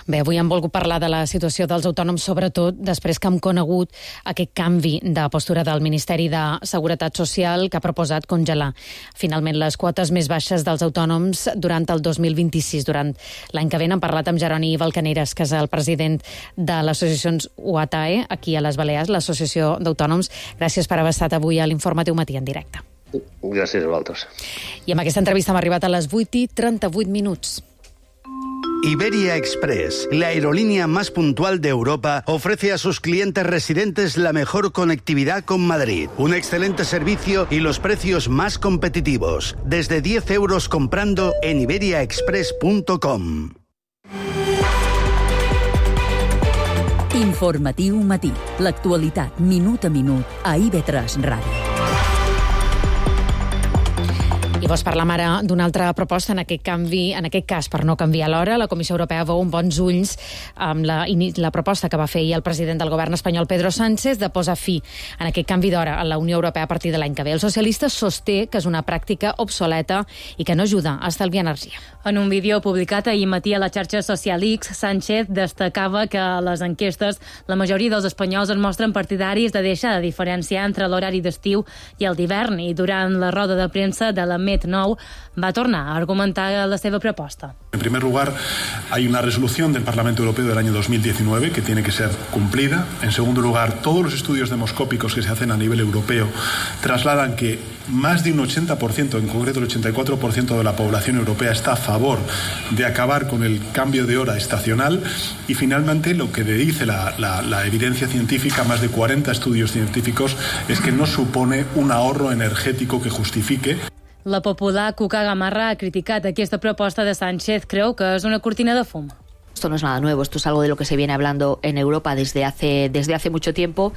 Bé, avui hem volgut parlar de la situació dels autònoms, sobretot després que hem conegut aquest canvi de postura del Ministeri de Seguretat Social, que ha proposat congelar finalment les quotes més baixes dels autònoms durant el dos mil vint-i-sis. Durant l'any que ve hem parlat amb Jeroni Balcaneres, que és el president de l'associació U A T A E, aquí a les Balears, l'Associació d'Autònoms. Gràcies per haver estat avui a l'Informatiu Matí en directe. Gràcies a vosaltres. I amb aquesta entrevista hem arribat a les vuit i trenta-vuit minuts. Iberia Express, la aerolínea más puntual de Europa, ofrece a sus clientes residentes la mejor conectividad con Madrid, un excelente servicio y los precios más competitivos. Desde diez euros comprando en iberia express punto com. Informatiu Matí. L'actualitat minut a minut a I V tres Ràdio. I vols parlar ara d'una altra proposta en aquest canvi, en aquest cas, per no canviar l'hora. La Comissió Europea veu amb bons ulls amb la, la proposta que va fer ahir el president del govern espanyol, Pedro Sánchez, de posar fi en aquest canvi d'hora a la Unió Europea a partir de l'any que ve. El socialista sosté que és una pràctica obsoleta i que no ajuda a estalviar energia. En un vídeo publicat ahir matí a la xarxa social X, Sánchez destacava que a les enquestes la majoria dels espanyols es mostren partidaris de deixar de diferenciar entre l'horari d'estiu i el d'hivern, i durant la roda de premsa de la Met nou va tornar a argumentar la seva proposta. En primer lugar, hay una resolución del Parlamento Europeo del año dos mil diecinueve que tiene que ser cumplida. En segundo lugar, todos los estudios demoscópicos que se hacen a nivel europeo trasladan que más de un ochenta por ciento, en concreto el ochenta y cuatro por ciento de la población europea está a favor de acabar con el cambio de hora estacional. Y finalmente, lo que dice la, la, la evidencia científica, más de cuarenta estudios científicos, es que no supone un ahorro energético que justifique. La popular Cuca Gamarra ha criticat aquesta proposta de Sánchez. Creu que és una cortina de fum. Esto no es nada nuevo, esto es algo de lo que se viene hablando en Europa desde hace, desde hace mucho tiempo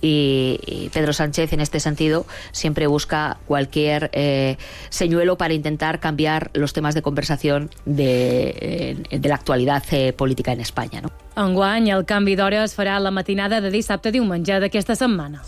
y, y Pedro Sánchez en este sentido siempre busca cualquier eh, señuelo para intentar cambiar los temas de conversación de, eh, de la actualidad eh, política en España, no? Enguany, el canvi d'hora es farà la matinada de dissabte a diumenge d'aquesta setmana.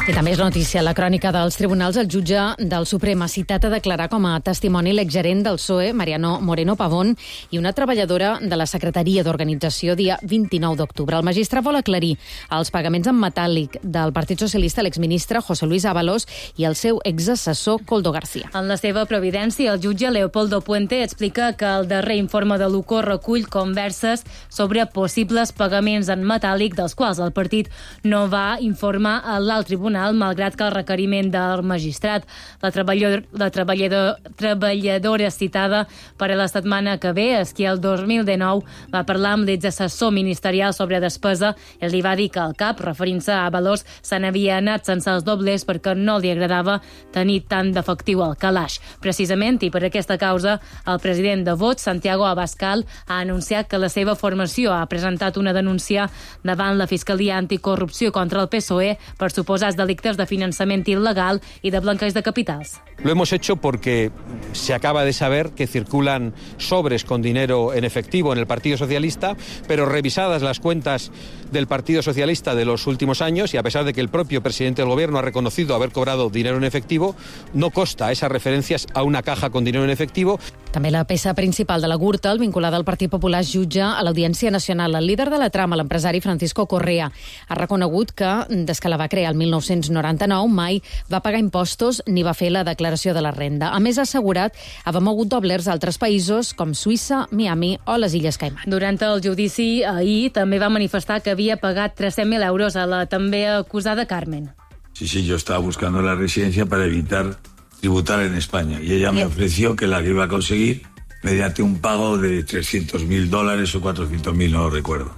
I també és notícia la crònica dels tribunals. El jutge del Suprem ha citat a declarar com a testimoni l'exgerent del P S O E, Mariano Moreno Pavón, i una treballadora de la Secretaria d'Organització dia vint-i-nou d'octubre. El magistrat vol aclarir els pagaments en metàl·lic del Partit Socialista a l'exministre José Luis Ábalos i el seu exassessor Koldo García. En la seva providència, el jutge Leopoldo Puente explica que el darrer informe de l'U C O recull converses sobre possibles pagaments en metàl·lic dels quals el partit no va informar a l'alt tribunal, malgrat que el requeriment del magistrat. La, treballador, la treballador, treballadora citada per a la setmana que ve és que el dos mil dinou va parlar amb l'exassessor ministerial sobre despesa i li va dir que el cap, referint-se a Ábalos, se n'havia anat sense els doblers perquè no li agradava tenir tant d'efectiu al calaix. Precisament, i per aquesta causa, el president de Vox, Santiago Abascal, ha anunciat que la seva formació ha presentat una denúncia davant la Fiscalia Anticorrupció contra el P S O E per suposats delictes de financiamiento ilegal y de blanqueig de capitals. Lo hemos hecho porque se acaba de saber que circulan sobres con dinero en efectivo en el Partido Socialista, pero revisadas las cuentas del Partido Socialista de los últimos años, y a pesar de que el propio presidente del Gobierno ha reconocido haber cobrado dinero en efectivo, no consta esas referencias a una caja con dinero en efectivo. També la peça principal de la Gürtel, vinculada al Partit Popular, jutja a l'Audiència Nacional. El líder de la trama, l'empresari Francisco Correa, ha reconegut que, des que la va crear el mil nou-cents noranta-nou, mai va pagar impostos ni va fer la declaració de la renda. A més, ha assegurat haver mogut doblers a altres països com Suïssa, Miami o les Illes Caiman. Durant el judici, ahir també va manifestar que havia pagat tres-cents mil euros a la també acusada Carmen. Sí, sí, yo estaba buscando la residencia para evitar tributar en España y ella me ofreció que la iba a conseguir mediante un pago de trescientos mil dólares o cuatrocientos mil, no lo recuerdo.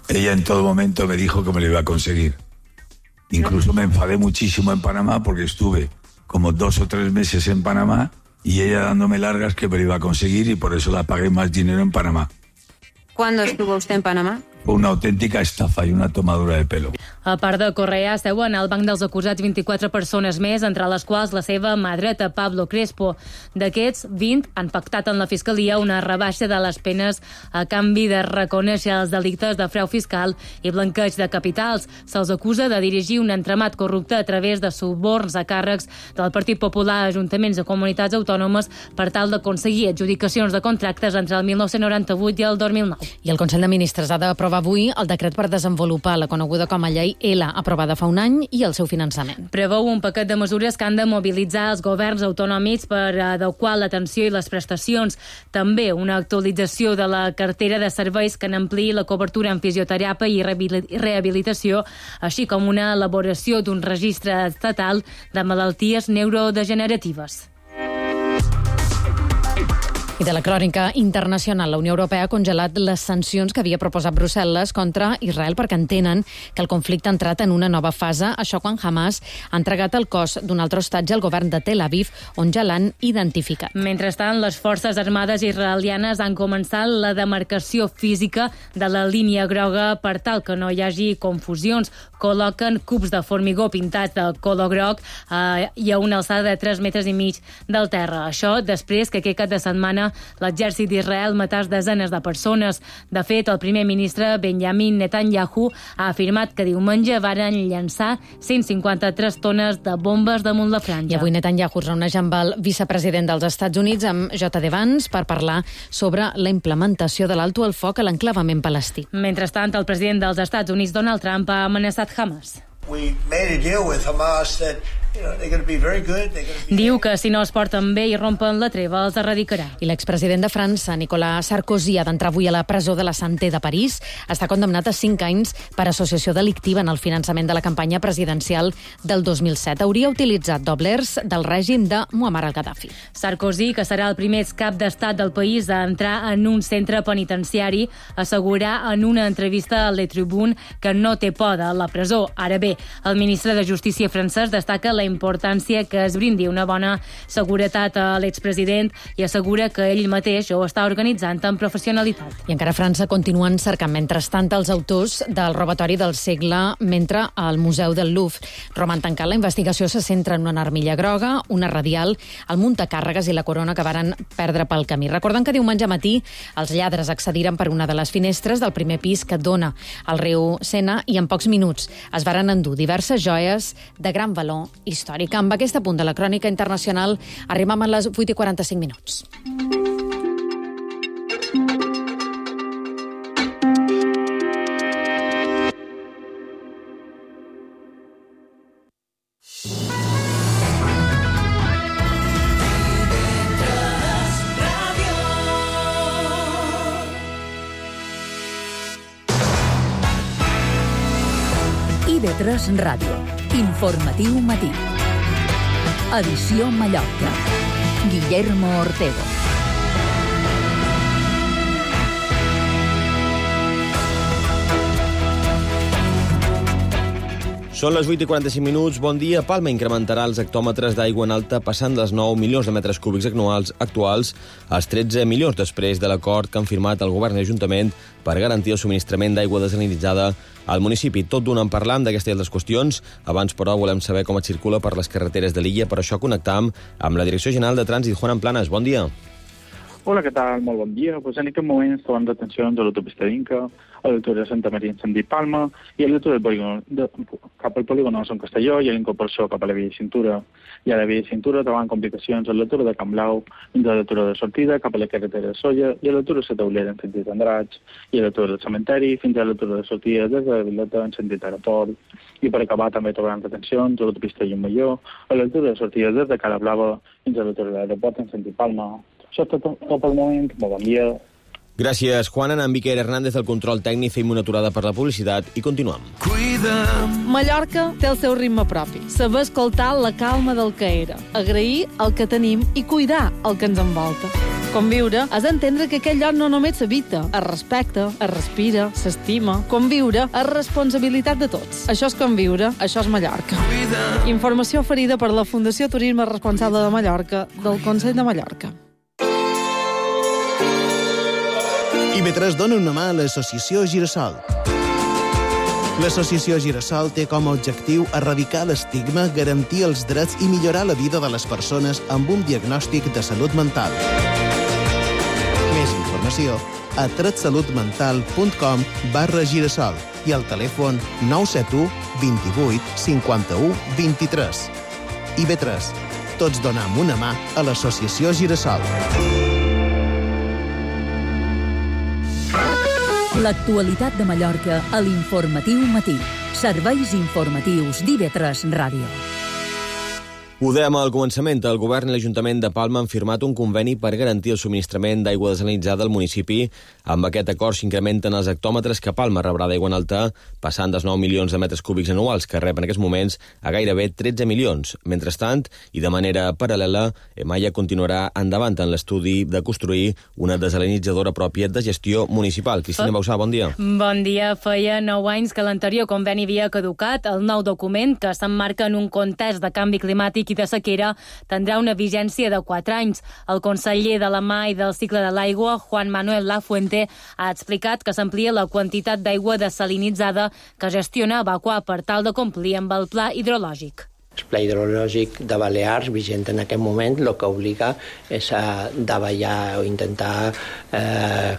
Ella en todo momento me dijo que me lo iba a conseguir. Incluso me enfadé muchísimo en Panamá porque estuve como dos o tres meses en Panamá y ella dándome largas que me lo iba a conseguir y por eso la pagué más dinero en Panamá. ¿Cuándo estuvo usted en Panamá? Fue una autèntica estafa i una tomadura de pelo. A part de Correa, seuen al banc dels acusats vint-i-quatre persones més, entre les quals la seva mà dreta, Pablo Crespo. D'aquests, vint han pactat en la Fiscalia una rebaixa de les penes a canvi de reconèixer els delictes de frau fiscal i blanqueig de capitals. Se'ls acusa de dirigir un entramat corrupte a través de suborns a càrrecs del Partit Popular a ajuntaments de comunitats autònomes per tal d'aconseguir adjudicacions de contractes entre el mil nou-cents noranta-vuit i el dos mil nou. I el Consell de Ministres ha d'aprovar avui el decret per desenvolupar la coneguda com a llei L, aprovada fa un any, i el seu finançament. Preveu un paquet de mesures que han de mobilitzar els governs autonòmics per adequar l'atenció i les prestacions. També una actualització de la cartera de serveis que n'ampliï la cobertura en fisioteràpia i rehabilitació, així com una elaboració d'un registre estatal de malalties neurodegeneratives. I de la crònica internacional, la Unió Europea ha congelat les sancions que havia proposat Brussel·les contra Israel perquè entenen que el conflicte ha entrat en una nova fase, això quan Hamas ha entregat el cos d'un altre hostatge al govern de Tel Aviv, on ja l'han identificat. Mentrestant, les forces armades israelianes han començat la demarcació física de la línia groga per tal que no hi hagi confusions. Col·loquen cubs de formigó pintats de color groc eh, i a una alçada de tres metres i mig del terra. Això després que aquest cap de setmana l'exèrcit d'Israel matàs desenes de persones. De fet, el primer ministre Benjamin Netanyahu ha afirmat que diumenge varen llançar cent cinquanta-tres tones de bombes damunt la franja. I avui Netanyahu es reuneix amb el vicepresident dels Estats Units, amb J D Vance, per parlar sobre la implementació de l'alto al foc a l'enclavament palestí. Mentrestant, el president dels Estats Units, Donald Trump, ha amenaçat Hamas. We made a deal with Hamas that Diu que si no es porten bé i rompen la treva els erradicarà. I l'expresident de França, Nicolas Sarkozy, ha d'entrar avui a la presó de la Santé de París. Està condemnat a cinc anys per associació delictiva en el finançament de la campanya presidencial del dos mil set. Hauria utilitzat doblers del règim de Muammar al-Gaddafi. Sarkozy, que serà el primer cap d'estat del país a entrar en un centre penitenciari, assegurà en una entrevista a Le Tribune que no té por de la presó. Ara bé, el ministre de Justícia francès destaca la importància que es brindi una bona seguretat a l'expresident i assegura que ell mateix ho està organitzant amb professionalitat. I encara a França continuen cercant mentrestant els autors del robatori del segle mentre al Museu del Louvre. Roman tancat, la investigació se centra en una armilla groga, una radial, el muntacàrregues i la corona que varen perdre pel camí. Recorden que diumenge matí els lladres accediren per una de les finestres del primer pis que dona al riu Sena i en pocs minuts es varen endur diverses joies de gran valor històric. Amb aquest punt de la crònica internacional arribem a les vuit i quaranta-cinc minuts. I V tres Ràdio. Informatiu matí. Edició Mallorca. Guillermo Ortego. Són les vuit i quaranta-cinc minuts. Bon dia. Palma incrementarà els hectòmetres d'aigua en alta passant dels nou milions de metres cúbics anuals actuals als tretze milions després de l'acord que han firmat el govern i l'Ajuntament per garantir el subministrament d'aigua desalinitzada al municipi. Tot d'una en parlam d'aquestes i altres qüestions. Abans, però, volem saber com es circula per les carreteres de l'illa. Per això connectam amb la Direcció General de Trànsit, Juan Planas. Bon dia. Hola, què tal? Molt bon dia. Pues en aquest moment trobem detencions a l'autopista d'Inca, a l'altura de Santa Maria en sentit Palma i a l'altura del polígon de, cap al polígon de Sant Castelló i a l'incorporació cap a la via de cintura. I a la via de cintura trobem complicacions a l'altura de Camp Blau, fins a l'altura de sortida cap a la carretera de Solla i a l'altura de la Taulera en sentit Andratx i a l'altura del cementeri fins a l'altura de sortida des de la Vileta en sentit Aeroport. I per acabar també trobem detencions a l'autopista Llumalló, a l'altura de sortida des de Cala Blava fins a l'altura de l'aeroport en sentit Palma. Això és tot, tot pel moment. Molt bon dia. Gràcies, Juan. En Miquel Hernández del control tècnic, fem una aturada per la publicitat i continuem. Mallorca té el seu ritme propi. Saber escoltar la calma del que era, agrair el que tenim i cuidar el que ens envolta. Conviure és entendre que aquest lloc no només s'habita, es respecta, es respira, s'estima. Conviure és responsabilitat de tots. Això és conviure, això és Mallorca. Informació oferida per la Fundació Turisme Responsable de Mallorca del Consell de Mallorca. I V tres dona una mà a l'associació Girasol. L'associació Girasol té com a objectiu erradicar l'estigma, garantir els drets i millorar la vida de les persones amb un diagnòstic de salut mental. Més informació a tretsalutmental.com barra girasol i al telèfon nou set u, vint-i-vuit, cinquanta-u, vint-i-tres. I V tres. Tots donem una mà a l'associació Girasol. L'actualitat de Mallorca a l'Informatiu Matí. Serveis informatius d'I V tres Ràdio. Ho dèiem al començament, el govern i l'Ajuntament de Palma han firmat un conveni per garantir el subministrament d'aigua desalinitzada al municipi. Amb aquest acord s'incrementen els hectòmetres que Palma rebrà d'aigua en alta, passant dels nou milions de metres cúbics anuals que rep en aquests moments a gairebé tretze milions. Mentrestant, i de manera paral·lela, Maia continuarà endavant en l'estudi de construir una desalinitzadora pròpia de gestió municipal. Cristina Bausà, bon dia. Bon dia. Feia nou anys que l'anterior conveni havia caducat. El nou document, que s'emmarca en un context de canvi climàtic i de sequera, tindrà una vigència de quatre anys. El conseller de la Mà i del cicle de l'aigua, Juan Manuel Lafuente, ha explicat que s'amplia la quantitat d'aigua desalinitzada que gestiona Evacuar per tal de complir amb el pla hidrològic. El pla hidrològic de Balears, vigent en aquest moment, el que obliga és a davallar o intentar eh,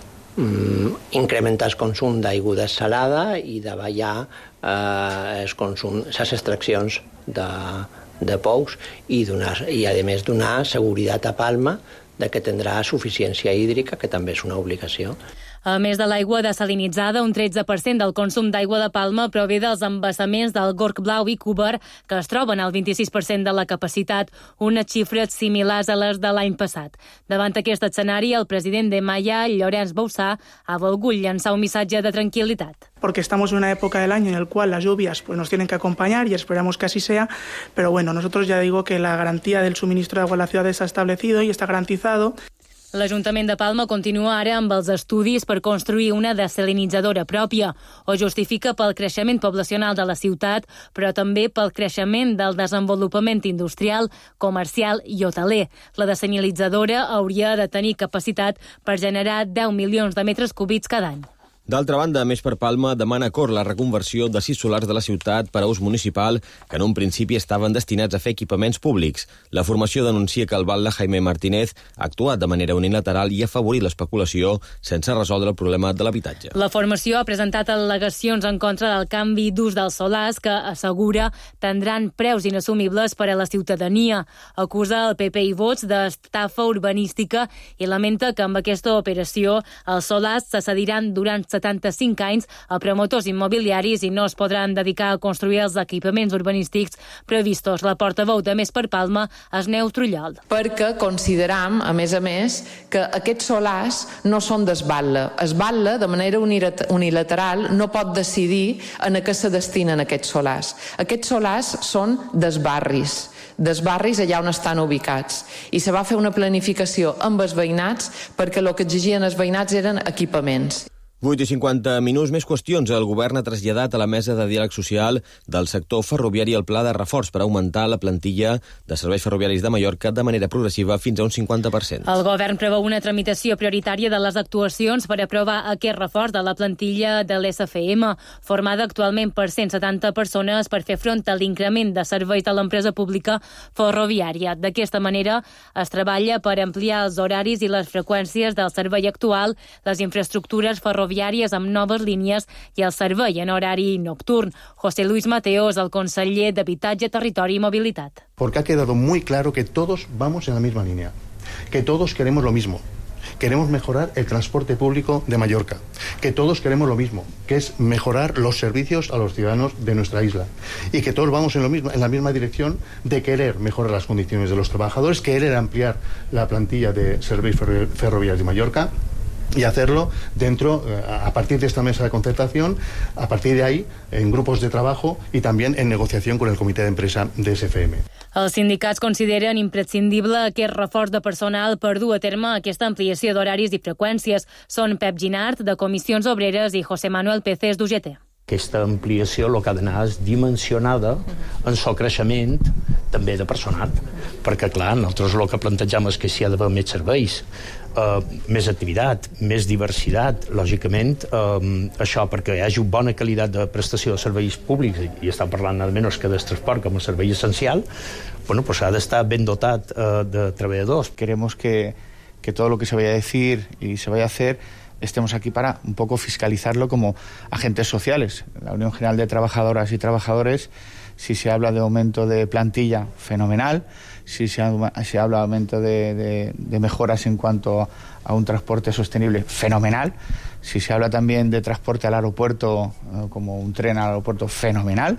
incrementar el consum d'aigua dessalada i davallar eh, el consum, les extraccions de de pous i, donar, i a més donar seguretat a Palma de que tindrà suficiència hídrica, que també és una obligació. A més de l'aigua desalinitzada, un tretze per cent del consum d'aigua de Palma prové dels embassaments del Gorg Blau i Cúber, que es troben al vint-i-sis per cent de la capacitat, unes xifres similars a les de l'any passat. Davant aquest escenari, el president de Maya, Llorenç Boussà, ha volgut llançar un missatge de tranquil·litat. Porque estamos en una época del año en la cual las lluvias pues, nos tienen que acompañar y esperamos que así sea, pero bueno, nosotros ya digo que la garantía del suministro de agua en la ciudad está establecido y está garantizado. L'Ajuntament de Palma continua ara amb els estudis per construir una desalinitzadora pròpia. Ho justifica pel creixement poblacional de la ciutat, però també pel creixement del desenvolupament industrial, comercial i hoteler. La desalinitzadora hauria de tenir capacitat per generar deu milions de metres cúbics cada any. D'altra banda, Més per Palma demana a Cor la reconversió de sis solars de la ciutat per a ús municipal que en un principi estaven destinats a fer equipaments públics. La formació denuncia que el batlle Jaime Martínez ha actuat de manera unilateral i ha afavorit l'especulació sense resoldre el problema de l'habitatge. La formació ha presentat al·legacions en contra del canvi d'ús dels solars que assegura prendran preus inassumibles per a la ciutadania. Acusa el P P i Vox d'estafa urbanística i lamenta que amb aquesta operació els solars se cediran durant setanta-cinc anys a promotors immobiliaris i no es podran dedicar a construir els equipaments urbanístics previstos. La portaveu de Més per Palma és Neus Trullol. Perquè consideram, a més a més, que aquests solars no són d'esbatlle. Esbatlle, de manera unilateral, no pot decidir en a què se destinen aquests solars. Aquests solars són dels barris. dels barris allà on estan ubicats. I se va fer una planificació amb els veïnats perquè el que exigien els veïnats eren equipaments. vuit i cinquanta minuts, més qüestions. El govern ha traslladat a la mesa de diàleg social del sector ferroviari el pla de reforç per augmentar la plantilla de serveis ferroviaris de Mallorca de manera progressiva fins a un cinquanta per cent. El govern preveu una tramitació prioritària de les actuacions per aprovar aquest reforç de la plantilla de l'S F M, formada actualment per cent setanta persones per fer front a l'increment de serveis de l'empresa pública ferroviària. D'aquesta manera es treballa per ampliar els horaris i les freqüències del servei actual, les infraestructures ferroviàries ferroviàries amb noves línies i el servei en horari nocturn. José Luis Mateos, el conseller d'Habitatge, Territori i Mobilitat. Porque ha quedado muy claro que todos vamos en la misma línea, que todos queremos lo mismo. Queremos mejorar el transporte público de Mallorca, que todos queremos lo mismo, que es mejorar los servicios a los ciudadanos de nuestra isla y que todos vamos en, lo mismo, en la misma dirección de querer mejorar las condiciones de los trabajadores, querer ampliar la plantilla de servicios ferroviarios de Mallorca y hacerlo dentro, a partir de esta mesa de concertación, a partir de ahí, en grupos de trabajo y también en negociación con el comitè d'empresa de S F M. Els sindicats consideren imprescindible aquest reforç de personal per dur a terme aquesta ampliació d'horaris i freqüències. Són Pep Ginart, de Comissions Obreres, i José Manuel Pecés, d'U G T. Aquesta ampliació el que ha d'anar és dimensionada en el creixement també de personal, perquè clar, nosaltres el que plantegem és que si hi ha d'haver més serveis, eh, més activitat, més diversitat, lògicament eh, això perquè hi hagi bona qualitat de prestació de serveis públics, i estem parlant nada menys que del transport com a servei essencial, bueno, pues ha d'estar ben dotat eh, de treballadors. Queremos que, que todo lo que se vaya a decir y se vaya a hacer estemos aquí para un poco fiscalizarlo como agentes sociales. La Unión General de Trabajadoras y Trabajadores, si se habla de aumento de plantilla, fenomenal. Si se, se habla de aumento de, de, de mejoras en cuanto a un transporte sostenible, fenomenal. Si se habla también de transporte al aeropuerto, como un tren al aeropuerto, fenomenal,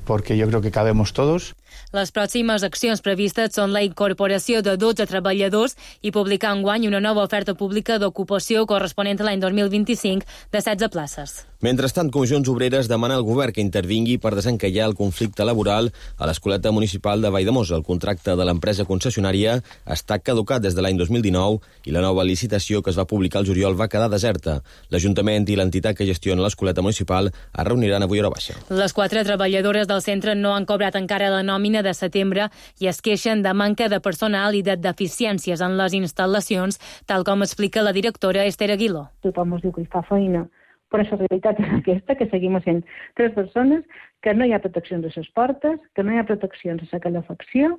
porque yo creo que cabemos todos. Les pròximes accions previstes són la incorporació de dotze treballadors i publicar enguany una nova oferta pública d'ocupació corresponent a l'any dos mil vint-i-cinc de setze places. Mentrestant, Comissions Obreres demana al govern que intervingui per desencallar el conflicte laboral a l'Escoleta Municipal de Valldemossa. El contracte de l'empresa concessionària està caducat des de l'any dos mil dinou i la nova licitació que es va publicar al juliol va quedar deserta. L'Ajuntament i l'entitat que gestiona l'Escoleta Municipal es reuniran avui a hora baixa. Les quatre treballadores del centre no han cobrat encara la nòmina de setembre i es queixen de manca de personal i de deficiències en les instal·lacions, tal com explica la directora Esther Aguiló. Tothom us diu que hi fa feina, però la realitat és aquesta, que seguim sent tres persones, que no hi ha proteccions a les portes, que no hi ha proteccions a la calefacció,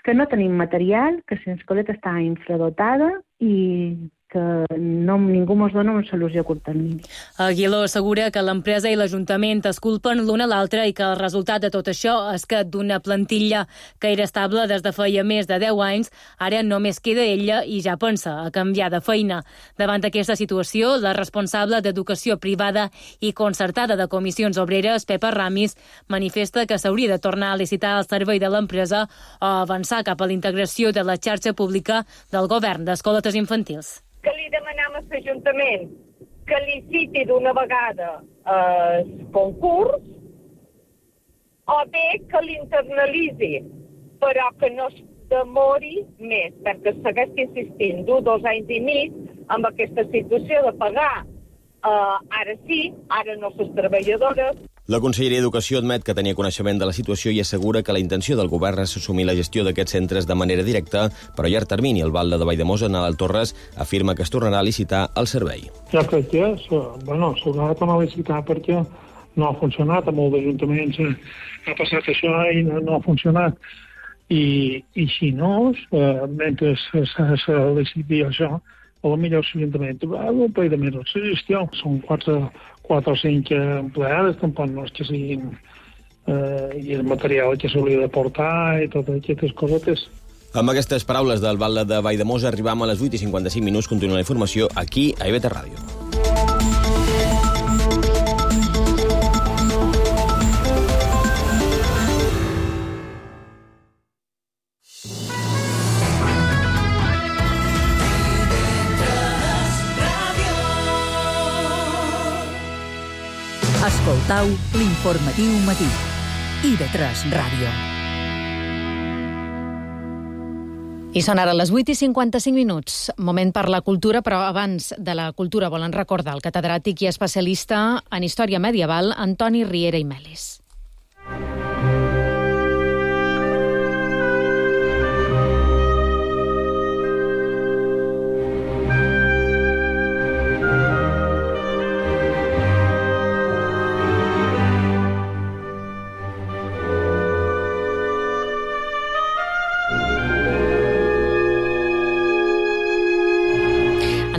que no tenim material, que l'escoleta està infradotada i que no, ningú ens dona una solució a curt termini. Aguiló assegura que l'empresa i l'Ajuntament es culpen l'un a l'altre i que el resultat de tot això és que d'una plantilla que era estable des de feia més de deu anys, ara només queda ella i ja pensa a canviar de feina. Davant d'aquesta situació, la responsable d'Educació Privada i Concertada de Comissions Obreres, Pepa Ramis, manifesta que s'hauria de tornar a licitar el servei de l'empresa o avançar cap a la integració de la xarxa pública del govern d'escoletes infantils. Que li demanem a l'Ajuntament que liciti d'una vegada el concurs o bé que l'internalitzi, però que no es demori més, perquè segueix insistint d'un, dos anys i mig amb aquesta situació de pagar uh, ara sí, ara no les treballadores. La Conselleria d'Educació admet que tenia coneixement de la situació i assegura que la intenció del govern és assumir la gestió d'aquests centres de manera directa, però a llarg termini. El Valde de Valldemossa, Nadal Torres, afirma que es tornarà a licitar el servei. Jo crec que bueno, s'haurà de tornar a licitar perquè no ha funcionat, a molts ajuntaments ha passat això i no, no ha funcionat. I, i si no, eh, mentre se liciti això, a la millor l'Ajuntament va omplir de més la gestió. Són quatre, quatre o cinc empleades, tampoc no és que siguin eh, i el material que s'hauria de portar i totes aquestes cosetes. Amb aquestes paraules del Valde de Valldemossa arribam a les vuit i cinquanta-cinc minuts. Continua la informació aquí a I V T Ràdio. Escoltau l'informatiu matí. I V tres Ràdio. I són ara les vuit i cinquanta-cinc minuts. Moment per la cultura, però abans de la cultura volen recordar el catedràtic i especialista en història medieval Antoni Riera i Melis.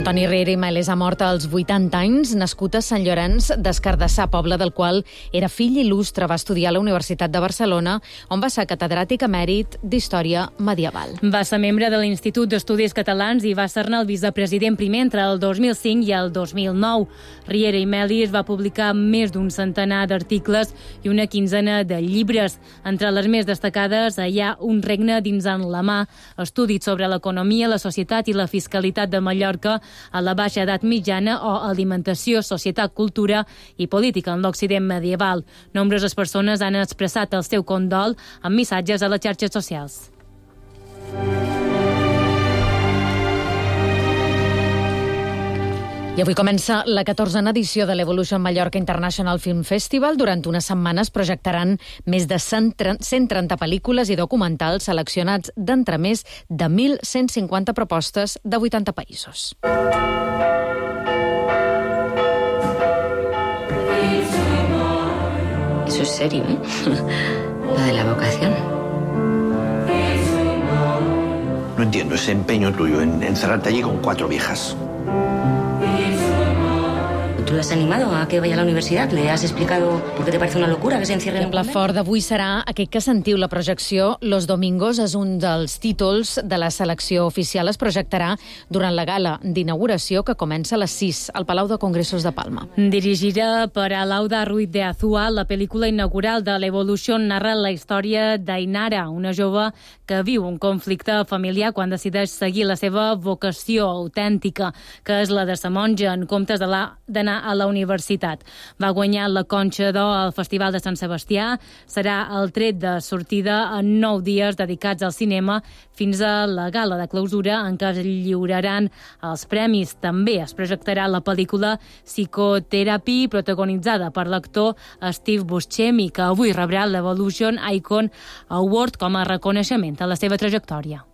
Antoni Riera i Melis ha mort als vuitanta anys, nascut a Sant Llorenç des Cardassar, poble del qual era fill il·lustre. Va estudiar a la Universitat de Barcelona, on va ser catedràtic emèrit d'Història Medieval. Va ser membre de l'Institut d'Estudis Catalans i va ser-ne el vicepresident primer entre el dos mil cinc i el dos mil nou. Riera i Melis va publicar més d'un centenar d'articles i una quinzena de llibres. Entre les més destacades hi ha Un regne dins en la mà, estudis sobre l'economia, la societat i la fiscalitat de Mallorca a la baixa edat mitjana o alimentació, societat, cultura i política en l'Occident medieval. Nombroses persones han expressat el seu condol amb missatges a les xarxes socials. I avui comença la catorzena edició de l'Evolution Mallorca International Film Festival. Durant unes setmanes projectaran més de cent trenta pel·lícules i documentals seleccionats d'entre més de mil cent cinquanta propostes de vuitanta països. Eso es serio, ¿eh? Lo de la vocación. No entiendo ese empeño tuyo en encerrarte allí con cuatro viejas. ¿Tú lo has animado a que vaya a la universidad? ¿Le has explicado por qué te parece una locura que se encierre en un convent? El pla fort d'avui serà aquest que sentiu. La projecció Los Domingos és un dels títols de la selecció oficial. Es projectarà durant la gala d'inauguració que comença a les sis al Palau de Congressos de Palma. Dirigida per Alauda Ruiz de Azúa, la pel·lícula inaugural de l'Evolution narra la història d'Ainara, una jove que viu un conflicte familiar quan decideix seguir la seva vocació autèntica, que és la de ser monja, en comptes d'anar a la universitat. Va guanyar la Conxa d'Or al Festival de Sant Sebastià. Serà el tret de sortida en nou dies dedicats al cinema fins a la gala de clausura en què es lliuraran els premis. També es projectarà la pel·lícula Psychotherapy, protagonitzada per l'actor Steve Buscemi, que avui rebrà l'Evolution Icon Award com a reconeixement a la seva trajectòria.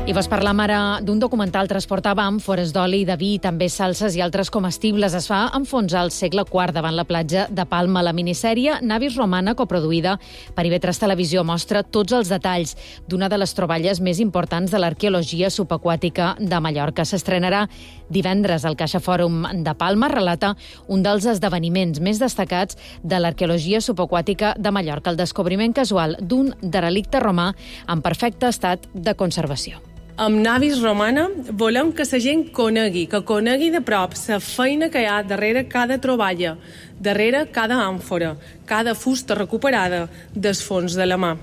I vos parlam ara d'un documental transportava àmfores d'oli, de vi, també salses i altres comestibles. Es fa enfonsar al segle quart davant la platja de Palma. La minissèrie Navis Romana, coproduïda per I V tres Televisió, mostra tots els detalls d'una de les troballes més importants de l'arqueologia subaquàtica de Mallorca. S'estrenarà divendres al Caixa Fòrum de Palma. Relata un dels esdeveniments més destacats de l'arqueologia subaquàtica de Mallorca, el descobriment casual d'un derelicte romà en perfecte estat de conservació. Amb Navis Romana volem que la gent conegui, que conegui de prop la feina que hi ha darrere cada troballa, darrere cada àmfora, cada fusta recuperada del fons de la mà.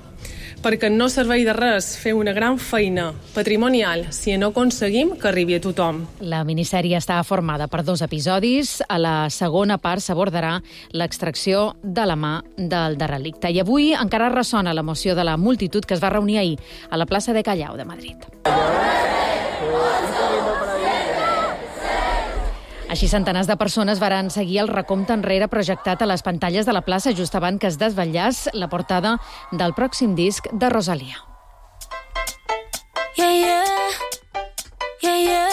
Perquè no serveix de res fer una gran feina patrimonial si no aconseguim que arribi a tothom. La minissèrie està formada per dos episodis. A la segona part s'abordarà l'extracció de la mà del derelicte. I avui encara ressona l'emoció de la multitud que es va reunir ahir a la plaça de Callao de Madrid. Així, centenars de persones varen seguir el recompte enrere projectat a les pantalles de la plaça just abans que es desvetllés la portada del pròxim disc de Rosalía. Yeah, yeah. Yeah, yeah.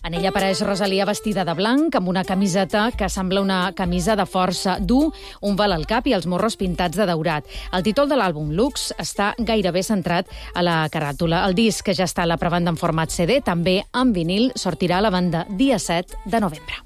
En ella apareix Rosalía vestida de blanc, amb una camiseta que sembla una camisa de força, dur un vel al cap i els morros pintats de daurat. El títol de l'àlbum, Lux, està gairebé centrat a la caràtula. El disc, que ja està a la prevenda en format C D, també en vinil, sortirà a la venda dia set de novembre.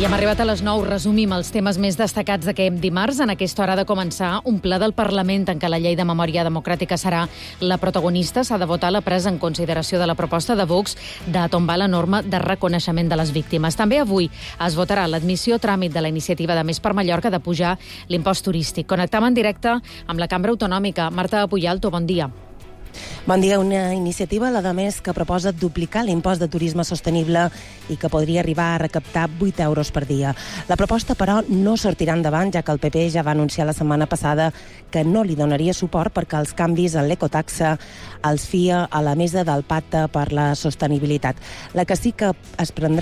I hem arribat a les nou. Resumim els temes més destacats d'aquest dimarts. En aquesta hora ha de començar un ple del Parlament en què la llei de memòria democràtica serà la protagonista. S'ha de votar la presa en consideració de la proposta de Vox de tombar la norma de reconeixement de les víctimes. També avui es votarà l'admissió a tràmit de la iniciativa de Més per Mallorca de pujar l'impost turístic. Connectam en directe amb la Cambra Autonòmica. Marta Puyalto, bon dia. Bon dia. Una iniciativa, la de Més, que proposa duplicar l'impost de turisme sostenible i que podria arribar a recaptar vuit euros per dia. La proposta, però, no sortirà endavant, ja que el P P ja va anunciar la setmana passada que no li donaria suport perquè els canvis en l'ecotaxa els fia a la mesa del Pacte per la Sostenibilitat. La que sí que es prendrà